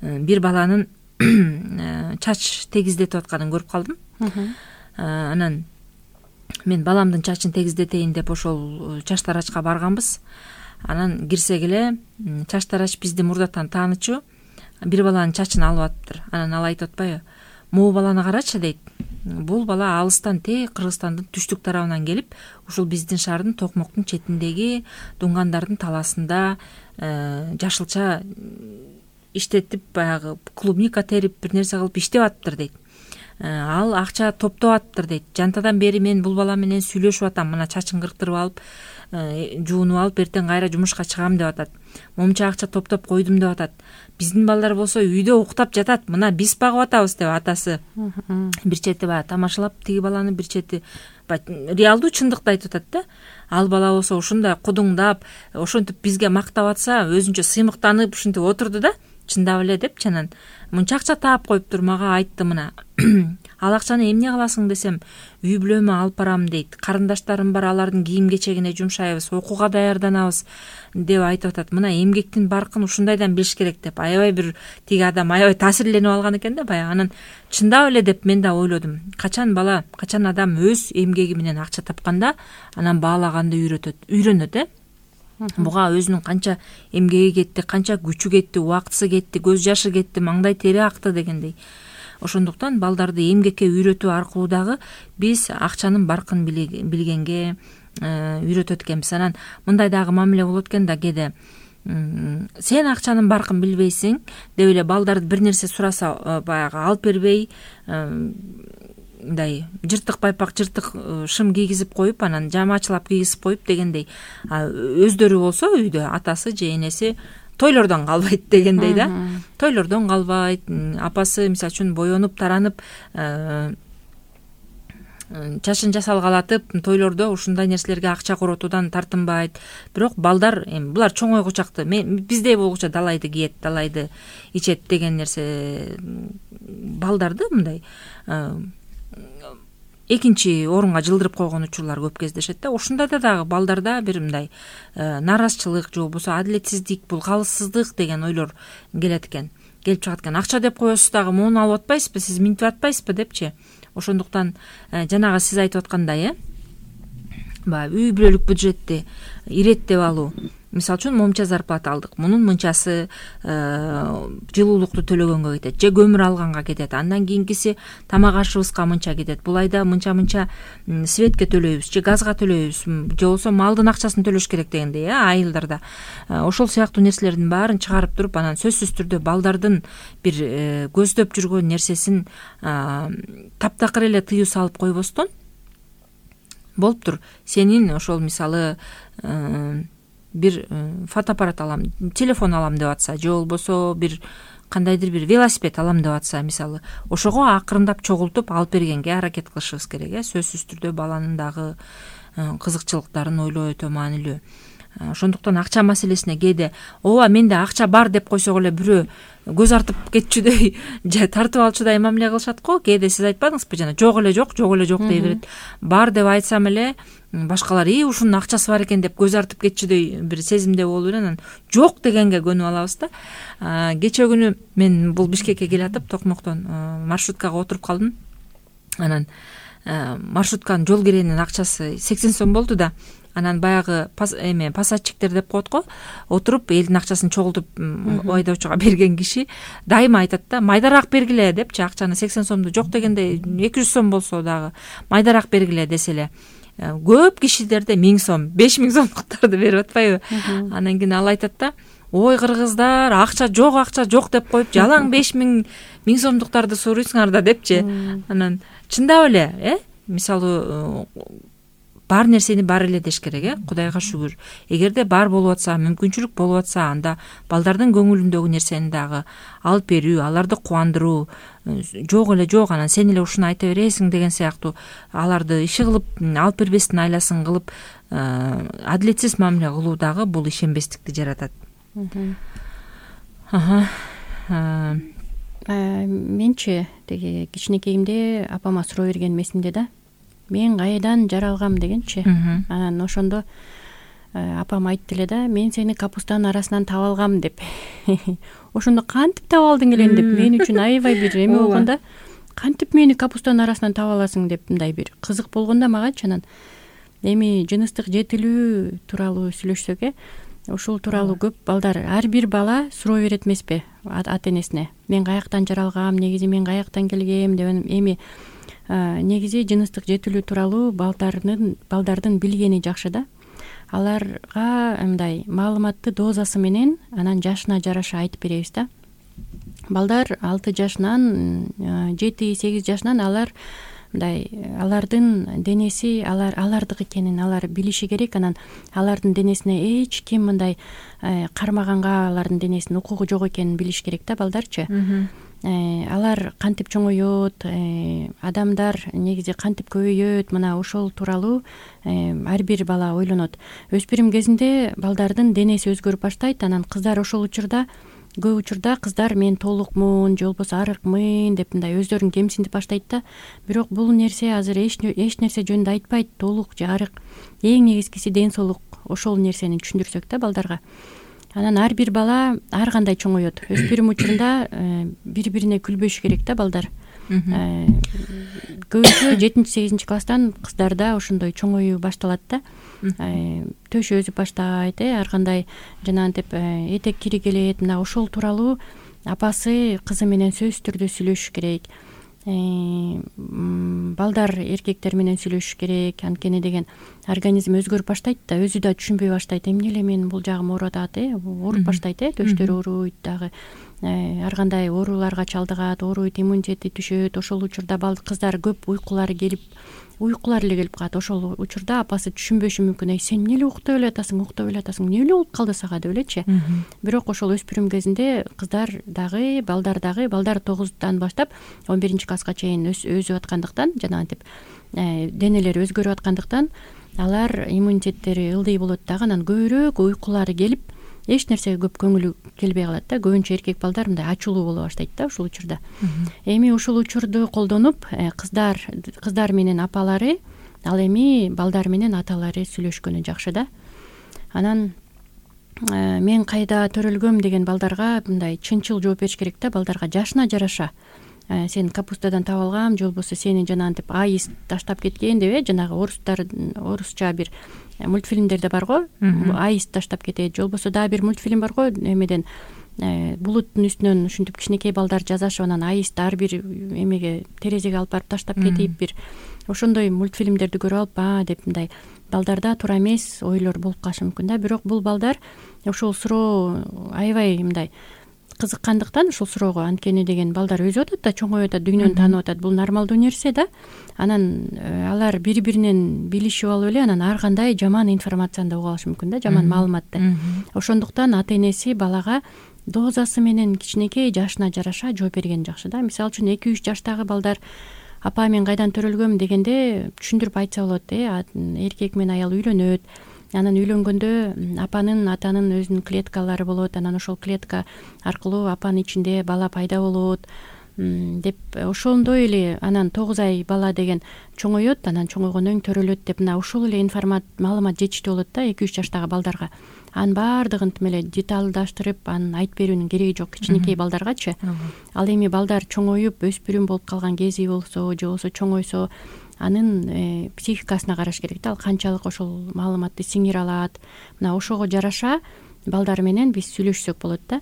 бир баланын чач тегиздетип атканын көрүп калдым. Анан мен баламдын чачын тегиздетейин деп ошол чач тарачка барганбыз. Анан кирсек эле чач тарач бизди мурдатан таанычу, бир баланын чачын алып атыптыр. Анан ал айтып атпайбы, могу баланы карачы дейт. Бул бала алыстан, те Кыргызстандын түштүк тарабынан келип, ушул биздин шаардын Токмоктун четиндеги дунгандардын таласында жашылча иштетип, баягы клубника терип, бир нерсе кылып иштеп атыптыр дейт. Ал акча топтоп атыптыр дейт. Жантадан бери мен бул бала менен сүйлөшүп атам, мына чачын кырктырып алып, жуунуп алып, эртең кайра жумушка чыгам деп атат. Момча акча топтоп койдум деп атат. Биздин балдар болсо үйдө уктап жатат, мына биз багып атабыз деп атасы бир чети баягы тамашалап, тиги баланы бир чети реалдуу чындыкты айтып атат да. Ал бала болсо ушундай кудуңдап, ошентип бизге мактап атса, өзүнчө сыймыктанып ушинтип отурду да, чындап эле деп. Анан мынча акча таап коюптур, мага айтты, мына ал акчаны эмне кыласың десем, үй бүлөмө алып барам дейт. Карындаштарым бар, алардын кийим кечегине жумшайбыз, окууга даярданабыз деп айтып атат. Мына эмгектин баркын ушундайдан билиш керек деп. Аябай бир тиги адам аябай таасирленип алган экен да баягы. Анан чындап эле деп мен да ойлодум. Качан бала, качан адам өз эмгеги менен акча тапканда, анан баалаганды үйрөтөт, үйрөнөт, э буга өзүнүн канча эмгеги кетти, канча күчү кетти, убактысы кетти, көз жашы кетти, маңдай тери акты дегендей. Ошондуктан балдарды эмгекке үйрөтүү аркылуу дагы биз акчанын баркын билгенге үйрөтөт экенбиз. Анан мындай дагы мамиле болот экен да кээде. Сен акчанын баркын билбейсиң деп эле балдарды бир нерсе сураса баягы алып бербей, мындай жыртык байпак, жыртык шым кийгизип коюп, анан жамаачылап кийгизип коюп дегендей. Өздөрү болсо үйдө атасы же энеси тойлордон калбайт дегендей да. Тойлордон калбайт. Апасы мисалы үчүн боенуп, таранып, чачын жасалгалатып, тойлордо ушундай нерселерге акча коротуудан тартынбайт. Бирок балдар, эми булар чоңойгучакты, биздей болгуча далайды кийет, далайды ичет деген нерсе балдарды мындай экинчи орунга жылдырып койгон учурлар көп кездешет да. Ушундайда дагы балдарда бир мындай нааразычылык же болбосо адилетсиздик, булгалсыздык деген ойлор келет экен, келип чыгат экен. Акча деп коесуз дагы, муну алып атпайсызбы, сиз минтип атпайсызбы депчи. Ошондуктан жанагы сиз айтып аткандай, э баягы үй бүлөлүк бюджетти иреттеп алуу, мисалы үчүн момча зарплата алдык, мунун мынчасы жылуулукту төлөгөнгө кетет же көмүр алганга кетет, андан кийинкиси тамак ашыбызга мынча кетет, бул айда мынча мынча светке төлөйбүз же газга төлөйбүз же болбосо малдын акчасын төлөш керек дегендей э айылдарда. Ошол сыяктуу нерселердин баарын чыгарып туруп, анан сөзсүз түрдө балдардын бир көздөп жүргөн нерсесин таптакыр эле тыюу салып койбостон болуптур. Сенин ошол мисалы бир фотоаппарат алам, телефон алам деп атса, же болбосо бир кандайдыр бир велосипед алам деп атса, мисалы ошого акырындап чогултуп алып бергенге аракет кылышыбыз керек э сөзсүз түрдө баланын дагы кызыкчылыктарын ойлоо өтө маанилүү. Ошондуктан акча маселесине кээде ооба менде акча бар деп койсок эле бирөө көз артып кетчүдөй же тартып алчудай мамиле кылышат го. Кээде сиз айтпадыңызбы жана жок эле жок, жок эле жок дей берет. Бар деп айтсам эле башкалар и ушунун акчасы бар экен деп көз артып кетчүдөй бир сезимде болуп эле анан жок дегенге көнүп алабыз да. Кечээ күнү мен бул Бишкекке келатып Токмоктон маршруткага отуруп калдым. Анан маршрутканын жол киренин акчасы сексен сом болду да. Анан баягы эме пассажиктер деп коет го, отуруп элдин акчасын чогултуп айдоочуга берген киши дайыма айтат да, майдараак бергиле депчи, акчаны сексен сомду жок дегенде эки жүз сом болсо дагы майдараак бергиле десе эле көп кишилерде миң сом, беш миң сомдуктарды берип атпайбы? Анан кийин ал айтат да, ой кыргыздар, акча жок, акча жок деп коюп, жалаң беш миң миң сомдуктарды сурuyсуңар да депчи. Анан чындап эле, э, мисалы бар нерсени бар эле деш керек, э, Кудайга шүгүр. Эгерде бар болуп атса, мүмкүнчүлүк болуп атса, анда балдардын көңүлүндөгү нерсени дагы алып берүү, аларды кубандыруу, жок эле жок, анан сен эле ушуну айта бересиң деген сыяктуу аларды иши кылып, алып бербестин айласын кылып, адилетсиз мамиле кылуу дагы бул ишенбестикти жаратат. Менчи теги кичинекейимде апама суроо берген эсимде да. Мен кайдан жаралгам дегенчи. Анан ошондо апам айтты эле да, мен сени капустанын арасынан таап алгам деп. Ошондо кантип таап алдың эле деп мен үчүн аябай бир эме болгондо, кантип мени капустанын арасынан таап аласың деп мындай бир кызык болгондо магачы. Анан эми жыныстык жетилүү тууралуу сүйлөшсөк э, ушул тууралуу көп балдар, ар бир бала суроо берет эмеспи ата энесине. Мен каяктан жаралгам, негизи мен каяктан келгем деп. Эми негизи жыныстык жетилүү тууралуу балдардын балдардын билгени жакшы да. Аларга мындай маалыматты дозасы менен анан жашына жараша айтып беребиз да. Балдар алты жашынан, жети сегиз жашынан алар мындай алардын денеси алар алардык экенин алар билиши керек. Анан алардын денесине эч ким мындай кармаганга алардын денесинин укугу жок экенин билиш керек да балдарчы. Алар кантип чоңойот, адамдар негизи кантип көбөйөт, мына ошол тууралуу ар бир бала ойлонот. Өспүрүм кезинде балдардын денеси өзгөрүп баштайт. Анан кыздар ошол учурда көп учурда кыздар мен толукмун же болбосо арыкмын деп мындай өздөрүн кемсинтип баштайт да. Бирок бул нерсе азыр эч эч нерсе жөнүндө айтпайт. Толук же арык, эң негизгиси ден соолук. Ошол нерсени түшүндүрсөк да балдарга. Анан ар бир бала ар кандай чоңойот. Өспүрүм учурунда бири-бирине күлбөшү керек да балдар. Көбүнчө жетинчи сегизинчи класстан кыздарда ошондой чоңоюу башталат да. Төшү өзүп баштайт, э, ар кандай жанагынтип этек кири келет. Мына ошол тууралуу апасы кызы менен сөзсүз түрдө сүйлөшүш керек. Балдар эркектер менен сүйлөшүш керек. Анткени деген организм өзгөрүп баштайт да, өзү да түшүнбөй баштайт. Эмне эле мен бул жагым ооруп атат, э, ооруп баштайт, э, төштөрү ооруйт дагы. Ар кандай ооруларга чалдыгат, ооруйт, иммунитети түшөт. Ошол учурда бал кыздар көп уйкулары келип, уйкулар эле келип калат. Ошол учурда апасы түшүнбөшү мүмкүн. Эй, сен эмне эле уктап эле атасың, уктап эле атасың, эмне эле болуп калды сага деп элечи. Бирок ошол өспүрүм кезинде кыздар дагы, балдар дагы, балдар тогуздан баштап он биринчи класска чейин өсүп аткандыктан, жанагынтип денелери өзгөрүп аткандыктан алар иммунитеттери ылдый болот дагы. Анан көбүрөөк уйкулары келип, эч нерсеге көп көңүлү келбей калат да. Көбүнчө эркек балдар мындай ачуулуу боло баштайт да ушул учурда. Эми ушул учурду колдонуп, кыздар кыздар менен апалары, ал эми балдар менен аталары сүйлөшкөнү жакшы да. Анан мен кайда төрөлгөм деген балдарга мындай чынчыл жооп бериш керек да. Балдарга жашына жараша сен капустадан таап алгам же болбосо сени жанагынтип айыз таштап кеткен деп э жанагы орустар орусча бир мультфильмдерде барго, айыз таштап кетет, же болбосо дагы бир мультфильм барго, эмеден булуттун үстүнөн ушинтип кичинекей балдар жазашып анан айызды ар бир эмеге терезеге алып барып таштап кетип, бир ошондой мультфильмдерди көрүп алып а деп мындай балдарда туура эмес ойлор болуп калышы мүмкүн да. Бирок бул балдар ошол суроо аябай мындай кызыккандыктан ушул суроого, анткени деген балдар өсүп атат да, чоңоюп атат, дүйнөнү таанып атат, бул нормалдуу нерсе да. Анан алар бири биринен билишип алып эле анан ар кандай жаман информацияны да угуп алышы мүмкүн да, жаман маалыматты. Ошондуктан ата энеси балага дозасы менен кичинекей жашына жараша жооп берген жакшы да. Мисалы үчүн эки үч жаштагы балдар апа мен кайдан төрөлгөм дегенде түшүндүрүп айтса болот, э эркек менен аял үйлөнөт, анан үйлөнгөндө апанын атанын өзүнүн клеткалары болот, анан ошол клетка аркылуу апанын ичинде бала пайда болот деп, ошондой эле анан тогуз ай бала деген чоңоет, анан чоңойгондон кийин төрөлөт деп, мына ушул эле информат маалымат жетиштүү болот да эки үч жаштагы балдарга. Анын баардыгын тим эле деталдаштырып анын айтып берүүнүн кереги жок кичинекей балдаргачы. Ал эми балдар чоңоюп өспүрүм болуп калган кези болсо же болбосо чоңойсо анын психикасына караш керек да, ал канчалык ошол маалыматты сиңире алат. Мына ошого жараша балдар менен биз сүйлөшсөк болот да.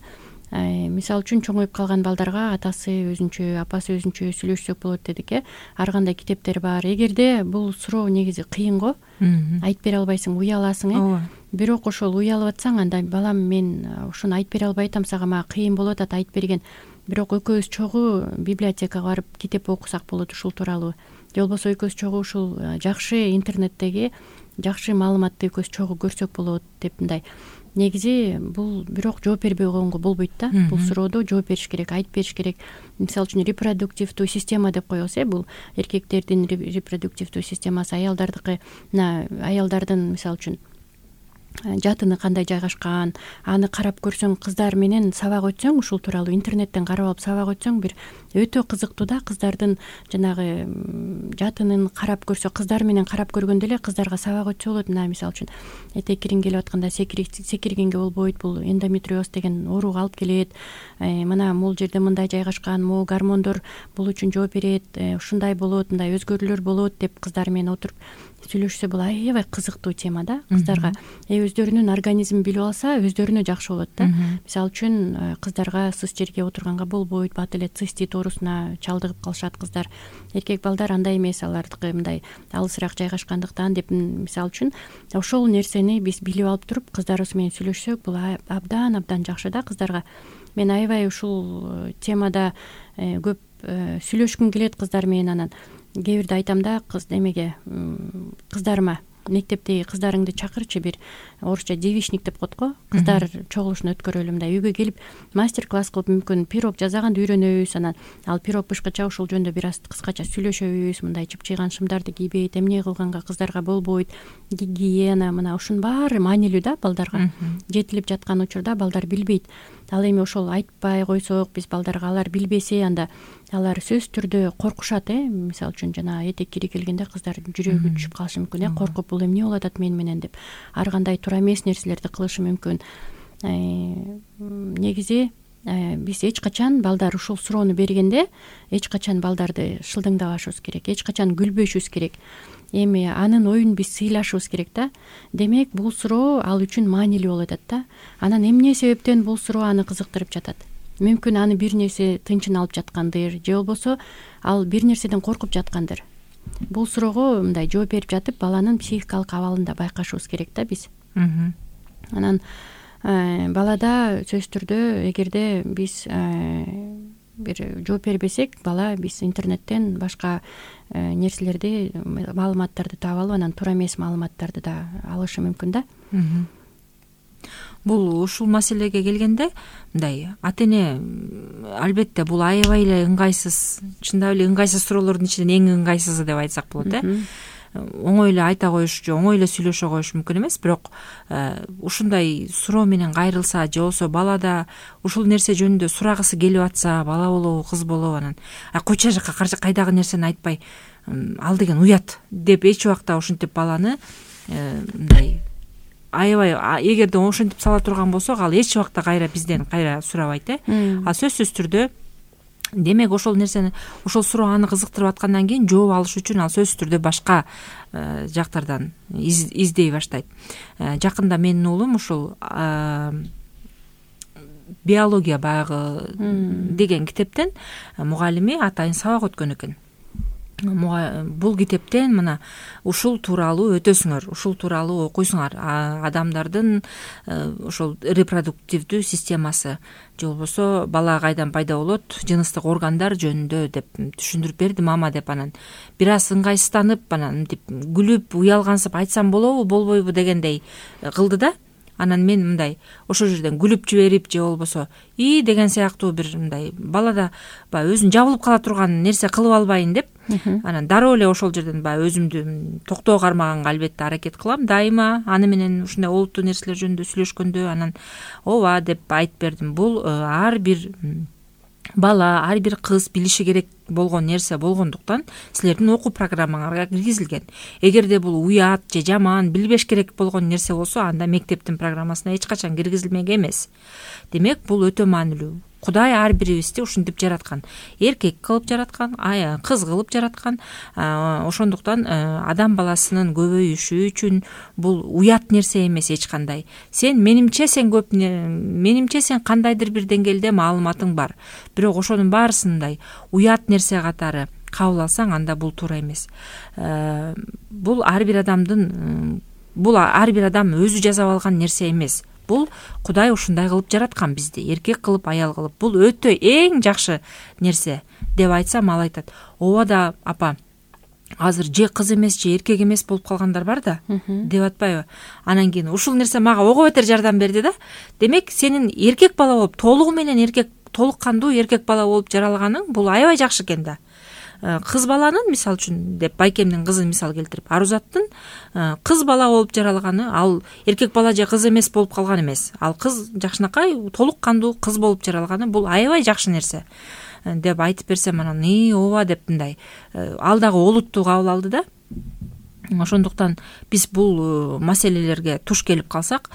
Мисалы үчүн чоңоюп калган балдарга атасы өзүнчө, апасы өзүнчө сүйлөшсөк болот дедик э. Ар кандай китептер бар. Эгерде бул суроо негизи кыйын го, айтып бере албайсың, уяласың э. Бирок ошол уялып атсаң, анда балам мен ушуну айтып бере албай атам, сага мага кыйын болуп атат айтып берген. Бирок экөөбүз чогуу библиотекага барып китеп окусак болот ушул тууралуу. Же болбосо экөөбүз чогуу ушул жакшы интернеттеги жакшы маалыматты экөөбүз чогуу көрсөк болот деп мындай. Негизи бул бирок жооп бербей койгонго болбойт да. Бул суроодо жооп бериш керек, айтып бериш керек. Мисалы үчүн репродуктивдүү система деп коебуз э, бул эркектердин репродуктивдүү системасы, аялдардыкы. Мына аялдардын мисалы үчүн жатыны кандай жайгашкан, аны карап көрсөң, кыздар менен сабак өтсөң, ушул тууралуу интернеттен карап алып сабак өтсөң, бир өтө кызыктуу да. Кыздардын жанагы жатынын карап көрсө, кыздар менен карап көргөндө эле кыздарга сабак өтсө болот. Мына мисалы үчүн этек кириң келип атканда секиргенге болбойт, бул эндометриоз деген ооруга алып келет. Мына могул жерде мындай жайгашкан, могу гормондор бул үчүн жооп берет, ушундай болот, мындай өзгөрүүлөр болот деп кыздар менен отуруп сүйлөшсө бул аябай кызыктуу тема да. Кыздарга өздөрүнүн организмин билип алса, өздөрүнө жакшы болот да. Мисалы үчүн кыздарга сыз жерге отурганга болбойт, бат эле цистит оорусуна чалдыгып калышат кыздар. Эркек балдар андай эмес, алардыкы мындай алысыраак жайгашкандыктан деп, мисалы үчүн ошол нерсени биз билип алып туруп кыздарыбыз менен сүйлөшсөк, бул абдан абдан жакшы да кыздарга. Мен аябай ушул темада көп сүйлөшкүм келет кыздар менен. Анан кээ бирде айтам да, кыз эмеге кыздарыма мектептеги кыздарыңды чакырчы, бир орусча девичник деп коет го, кыздар чогулушун өткөрөлү, мындай үйгө келип мастер класс кылып, мүмкүн пирог жасаганды үйрөнөбүз, анан ал пирог бышкача ушул жөнүндө бир аз кыскача сүйлөшөбүз, мындай чыпчыйган шымдарды кийбейт, эмне кылганга кыздарга болбойт, гигиена, мына ушунун баары маанилүү да балдарга. Жетилип жаткан учурда балдар билбейт. Ал эми ошол айтпай койсок, биз балдарга, алар билбесе, анда алар сөзсүз түрдө коркушат э. Мисалы үчүн жана этек кири келгенде кыздар жүрөгү түшүп калышы мүмкүн э, коркуп бул эмне болуп атат мен менен деп, ар кандай туура эмес нерселерди кылышы мүмкүн. Негизи биз эч качан балдар ушул суроону бергенде эч качан балдарды шылдыңдабашыбыз керек, эч качан күлбөшүбүз керек. Эми анын оюн биз сыйлашыбыз керек да. Демек бул суроо ал үчүн маанилүү болуп атат да. Анан эмне себептен бул суроо аны кызыктырып жатат? Мүмкүн аны бир нерсе тынчын алып жаткандыр, же болбосо ал бир нерседен коркуп жаткандыр. Бул суроого мындай жооп берип жатып, баланын психикалык абалын да байкашыбыз керек да биз. Анан балада сөзсүз түрдө эгерде биз бир жооп бербесек, бала биз интернеттен башка нерселерди, маалыматтарды таап алып, анан туура эмес маалыматтарды да алышы мүмкүн да. Бул ушул маселеге келгенде мындай ата эне албетте бул аябай эле ыңгайсыз, чындап эле ыңгайсыз суроолордун ичинен эң ыңгайсызы деп айтсак болот э. Оңой эле айта коюш же оңой эле сүйлөшө коюш мүмкүн эмес, бирок ушундай суроо менен кайрылса, же болбосо балада ушул нерсе жөнүндө сурагысы келип атса, бала болобу, кыз болобу, анан койчу жака кайдагы нерсени айтпай, ал деген уят деп эч убакта ушинтип баланы мындай аябай, эгерде ошентип сала турган болсок, ал эч убакта кайра бизден кайра сурабайт э. А сөзсүз түрдө демек ошол нерсени, ошол суроо аны кызыктырып аткандан кийин жооп алыш үчүн ал сөзсүз түрдө башка жактардан издей баштайт. Жакында менин уулум ушул биология баягы деген китептен мугалими атайын сабак өткөн экен. Бул китептен мына ушул тууралуу өтөсүңөр, ушул тууралуу окуйсуңар. Адамдардын ошол репродуктивдүү системасы же болбосо бала кайдан пайда болот, жыныстык органдар жөнүндө деп түшүндүрүп берди мама деп. Анан бир аз ыңгайсызданып, анан мынтип күлүп, уялгансып айтсам болобу, болбойбу дегендей кылды да. Анан мен мындай ошол жерден күлүп жиберип же болбосо и деген сыяктуу бир мындай балада баягы өзүн жабылып кала турган нерсе кылып албайын деп, анан дароо эле ошол жерден баягы өзүмдү токтоо кармаганга албетте аракет кылам дайыма. Аны менен ушундай олуттуу нерселер жөнүндө сүйлөшкөндө анан ооба деп айтып бердим. Бул ар бир бала, ар бир кыз билиши керек болгон нерсе болгондуктан силердин окуу программаңарга киргизилген. Эгерде бул уят же жаман, билбеш керек болгон нерсе болсо, анда мектептин программасына эч качан киргизилмек эмес. Демек, бул өтө маанилүү. Кудай ар бирибизди ушинтип жараткан. Эркек кылып жараткан, кыз кылып жараткан. Ошондуктан адам баласынын көбөйүшү үчүн бул уят нерсе эмес эч кандай. Сен менимче сен көп менимче сен кандайдыр бир деңгээлде маалыматың бар. Бирок ошонун баарысындай уят нерсе катары кабыл алсаң, анда бул туура эмес. Бул ар бир адамдын бул ар бир адам өзү жасап алган нерсе эмес. Бул Кудай ушундай кылып жараткан бизди, эркек кылып, аял кылып. Бул өтө эң жакшы нерсе деп айтсам, ал айтат: ооба да апа, азыр же кыз эмес, же эркек эмес болуп калгандар бар да, деп атпайбы? Анан кийин ушул нерсе мага ого бетер жардам берди да. Демек, сенин эркек бала болуп, толугу менен эркек, толук кандуу эркек бала болуп жаралганың бул аябай жакшы экен да. Кыз баланын, мисал үчүн деп байкемдин кызын мисал келтирип, Арузаттын кыз бала болуп жаралганы, ал эркек бала же кыз эмес болуп калган эмес. Ал кыз жакшынакай толук кандуу кыз болуп жаралганы бул аябай жакшы нерсе деп айтып берсем, анан и ооба деп мындай ал дагы олуттуу кабыл алды да. Ошондуктан биз бул маселелерге туш келип калсак,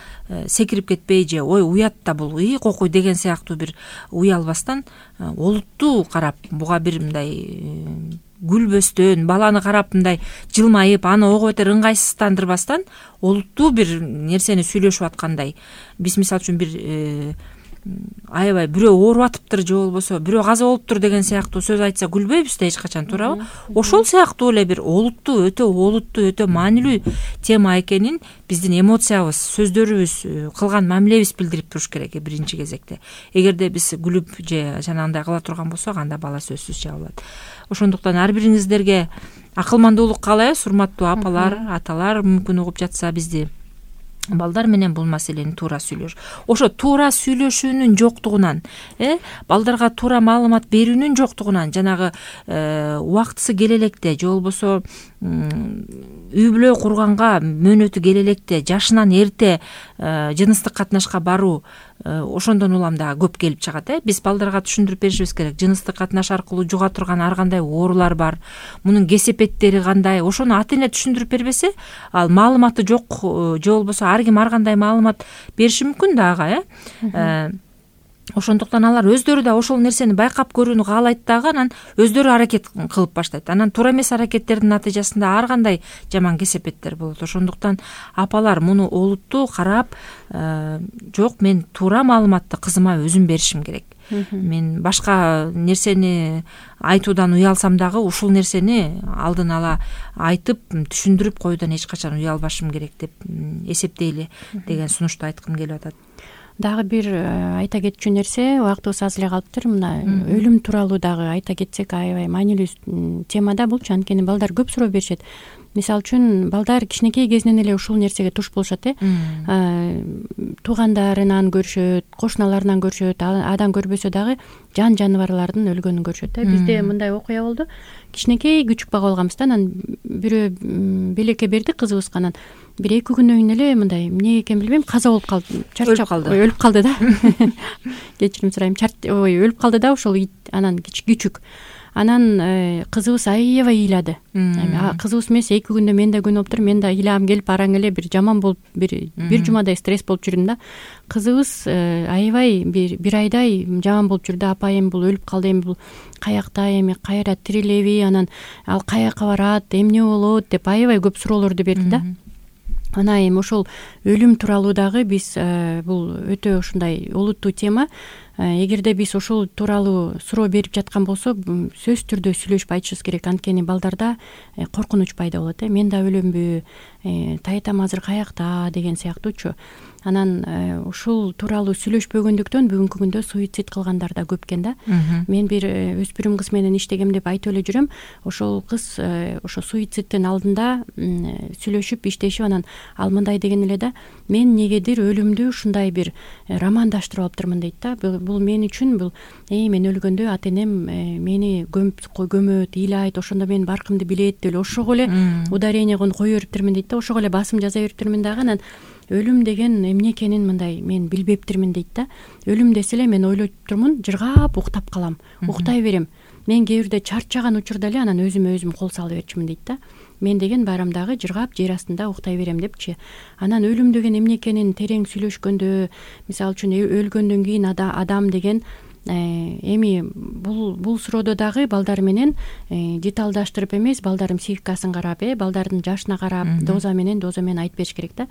секирип кетпей же ой уят да бул и кокуй деген сыяктуу бир уялбастан, олуттуу карап, буга бир мындай күлбөстөн, баланы карап мындай жылмайып, аны ого бетер ыңгайсыздандырбастан, олуттуу бир нерсени сүйлөшүп аткандай. Биз мисал үчүн бир аябай бирөө ооруп атыптыр же болбосо бирөө каза болуптур деген сыяктуу сөз айтса күлбөйбүз да эч качан, туурабы? Ошол сыяктуу эле бир олуттуу, өтө олуттуу, өтө маанилүү тема экенин биздин эмоциябыз, сөздөрүбүз, кылган мамилебиз билдирип туруш керек биринчи кезекте. Эгерде биз күлүп же жанагындай кыла турган болсок, анда бала сөзсүз жабылат. Ошондуктан ар бириңиздерге акылмандуулук каалайбыз, урматтуу апалар, аталар. Мүмкүн угуп жатса бизди, балдар менен бул маселени туура сүйлөш. Ошо туура сүйлөшүүнүн жоктугунан, э, балдарга туура маалымат берүүнүн жоктугунан, жанагы убактысы келе электе же болбосо үй бүлө курганга мөөнөтү келе электе, жашынан эрте жыныстык катнашка баруу ошондон улам да көп келип чыгат. Э, биз балдарга түшүндүрүп беришибиз керек. Жыныстык катнаш аркылуу жуга турган ар кандай оорулар бар, мунун кесепеттери кандай. Ошону ата эне түшүндүрүп бербесе, ал маалыматы жок же болбосо ар ким ар кандай маалымат бериши мүмкүн да ага. Э, ошондуктан алар өздөрү да ошол нерсени байкап көрүүнү каалайт дагы, анан өздөрү аракет кылып баштайт. Анан туура эмес аракеттердин натыйжасында ар кандай жаман кесепеттер болот. Ошондуктан апалар муну олуттуу карап, жок, мен туура маалыматты кызыма өзүм беришим керек. Мен башка нерсени айтуудан уялсам дагы ушул нерсени алдын ала айтып, түшүндүрүп коюудан эч качан уялбашым керек деп эсептейли деген сунушту айткым келип атат. Дагы бир айта кетчү нерсе, убактыбыз аз эле калыптыр. Мына өлүм тууралуу дагы айта кетсек, аябай маанилүү тема да булчу. Анткени балдар көп суроо беришет. Мисалы үчүн, балдар кичинекей кезинен эле ушул нерсеге туш болушат, э. Туугандарынан көрүшөт, кошуналарынан көрүшөт, адан көрбөсө дагы жан жаныбарлардын өлгөнүн көрүшөт, э. Бизде мындай окуя болду. Кичинекей күчүк бага болгонбуз да, анан бирөө белекке берди кызыбызга, анан бир эки күнөн кийин эле мындай эмне экенин билбейм, каза болуп калды, чарчап калды. Өлүп калды да. Кечирим сурайм. Ой, өлүп калды да ошол ит, анан күчүк. анан кызыбыз аябай ыйлады. Кызыбыз эмес, эки күндө мен да күнөп туруп, мен да ыйлагым келип араң эле бир жаман болуп, бир бир жумадай стресс болуп жүрдүм да. Кызыбыз аябай бир бир айдай жаман болуп жүрдү. Апа эми бул өлүп калды, эми бул каякта, эми кайра тирилеби, анан ал каяка барат, эмне болот деп аябай көп суроолорду берди да. Ана эми ошол өлүм тууралуу дагы биз бул өтө ушундай олуттуу тема. Эгерде биз ошол тууралуу суроо берип жаткан болсо, сөзсүз түрдө сүйлөшүп айтышыбыз керек. Анткени балдарда коркунуч пайда болот. Мен да өлөмбү, таятам азыр каякта деген сыяктуучу. Анан ушул тууралуу сүйлөшпөгөндүктөн бүгүнкү күндө суицид кылгандар да көп экен да. Мен бир өспүрүм кыз менен иштегем деп айтып эле жүрөм. Ошол кыз ошо суицидтин алдында сүйлөшүп, иштешип, анан ал мындай деген эле да: мен негедир өлүмдү ушундай бир романдаштырып алыптырмын дейт да. Бул мен үчүн бул эй мен өлгөндө ата энем мени көмүп көмөт, ыйлайт, ошондо мен баркымды билет деп эле ошого эле ударение кое бериптирмин дейт да. Ошого эле басым жаза бериптирмин дагы. Анан өлүм деген эмне экенин мындай мен билбептирмин дейт да. Өлүм десе эле мен ойлоп турмун, жыргап уктап калам, уктай берем. Мен кээ бирде чарчаган учурда эле анан өзүмө өзүм кол салып берчүмүн дейт да. Мен деген барам дагы жыргап жер астында уктай берем депчи. Анан өлүм деген эмне экенин терең сүйлөшкөндө, мисалы үчүн өлгөндөн кийин адам деген эми бул бул суроодо дагы балдар менен деталдаштырып эмес, балдардын психикасын карап, э балдардын жашына карап, доза менен доза менен айтып бериш керек да.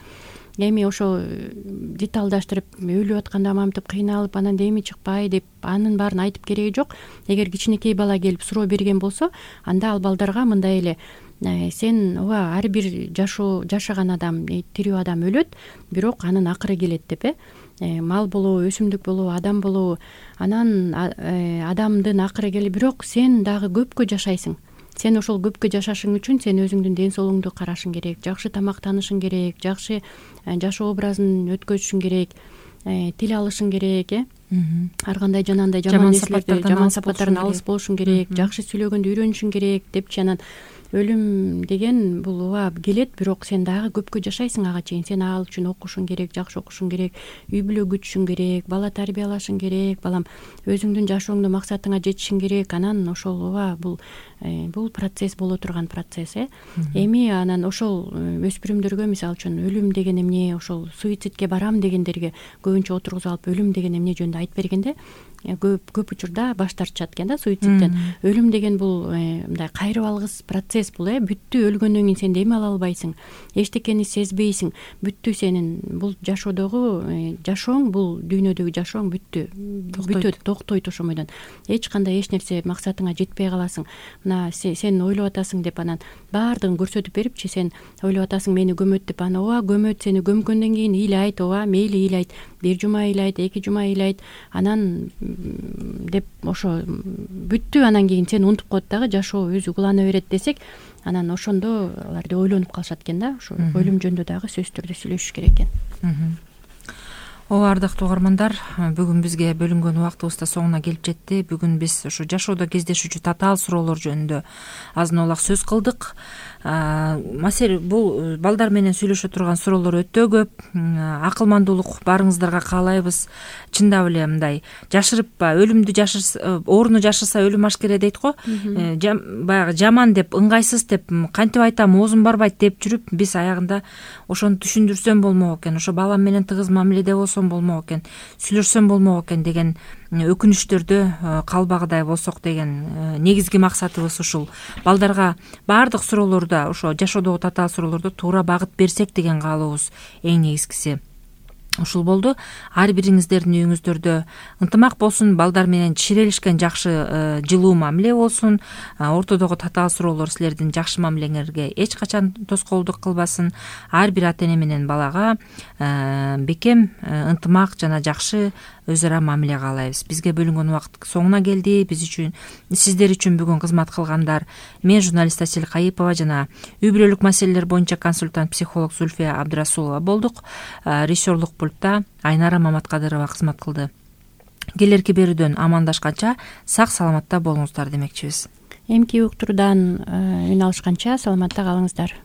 Эми ошо деталдаштырып өлүп атканда мамтып кыйналып, анан деми чыкпай деп анын баарын айтып кереги жок. Эгер кичинекей бала келип суроо берген болсо, анда ал балдарга мындай эле: сен ооба ар бир жашоо жашаган адам, тирүү адам өлөт, бирок анын акыры келет деп, э мал болобу, өсүмдүк болобу, адам болобу, анан адамдын акыры келет, бирок сен дагы көпкө жашайсың. Сен ошол көпкө жашашың үчүн сен өзүңдүн ден соолугуңду карашың керек, жакшы тамактанышың керек, жакшы жашоо образын өткөзүшүң керек, тил алышың керек, э ар кандай жанагындай жаман нерселерди, жаман сапаттардан алыс болушуң керек, жакшы сүйлөгөндү үйрөнүшүң керек депчи. Анан өлүм деген бул ооба келет, бирок сен дагы көпкө жашайсың ага чейин. Сен ал үчүн окушуң керек, жакшы окушуң керек, үй бүлө күтүшүң керек, бала тарбиялашың керек, балам өзүңдүн жашооңдо максатыңа жетишиң керек. Анан ошол ооба бул бул процесс боло турган процесс, э эми анан ошол өспүрүмдөргө мисалы үчүн өлүм деген эмне, ошол суицидке барам дегендерге көбүнчө отургузуп алып өлүм деген эмне жөнүндө айтып бергенде көп көп учурда баш тартышат экен да суицидтен. Өлүм деген бул мындай кайрып алгыс процесс бул, э бүттү, өлгөндөн кийин сен дем ала албайсың, эчтекени сезбейсиң, бүттү сенин бул жашоодогу жашооң, бул дүйнөдөгү жашооң бүттү, бүтөт, токтойт ошо бойдон. Эч кандай эч нерсе максатыңа жетпей каласың. Мына сен ойлоп атасың деп анан баардыгын көрсөтүп берипчи, сен ойлоп атасың мени көмөт деп, ана ооба көмөт, сени көмкөндөн кийин ыйлайт, ооба мейли ыйлайт, бир жума ыйлайт, эки жума ыйлайт, анан деп ошо бүттү, анан кийин сени унутуп коет дагы, жашоо өзү улана берет десек, анан ошондо алар деп ойлонуп калышат экен да. Ошо өлүм жөнүндө дагы сөзсүз түрдө сүйлөшүш керек экен. Ооба, ардактуу угармандар, бүгүн бизге бөлүнгөн убактыбыз да соңуна келип жетти. Бүгүн биз ушу жашоодо кездешүүчү татаал суроолор жөнүндө азын олак сөз кылдык. Маселе бул балдар менен сүйлөшө турган суроолор өтө көп. Акылмандуулук баарыңыздарга каалайбыз. Чындап эле мындай жашырып өлүмдү жашырса, ооруну жашырса өлүм ашкере дейт го. Баягы жаман деп, ыңгайсыз деп, кантип айтам, оозум барбайт деп жүрүп, биз аягында ошону түшүндүрсөм болмок экен, ошо балам менен тыгыз мамиледе болсом болмок экен, сүйлөшсөм болмок экен деген өкүнүчтөрдө калбагыдай болсок деген негизги максатыбыз ушул. Балдарга баардык суроолордо, ошо жашоодогу татаал суроолордо туура багыт берсек деген каалообуз эң негизгиси ушул болду. Ар бириңиздердин үйүңүздөрдө ынтымак болсун, балдар менен чирелишкен жакшы жылуу мамиле болсун, ортодогу татаал суроолор силердин жакшы мамилеңерге эч качан тоскоолдук кылбасын. Ар бир ата эне менен балага бекем ынтымак жана жакшы өз ара мамиле каалайбыз. Бизге бөлүнгөн убакыт соңуна келди. Биз үчүн, сиздер үчүн бүгүн кызмат кылгандар мен журналист Асель Кайыпова жана үй бүлөлүк маселелер боюнча консультант психолог Зульфия Абдрасулова болдук. Режиссерлук пультта Айнара Маматкадырова кызмат кылды. Келерки берүүдөн амандашканча сак саламатта болуңуздар демекчибиз. Эмки уктуруудан үн алышканча саламатта калыңыздар.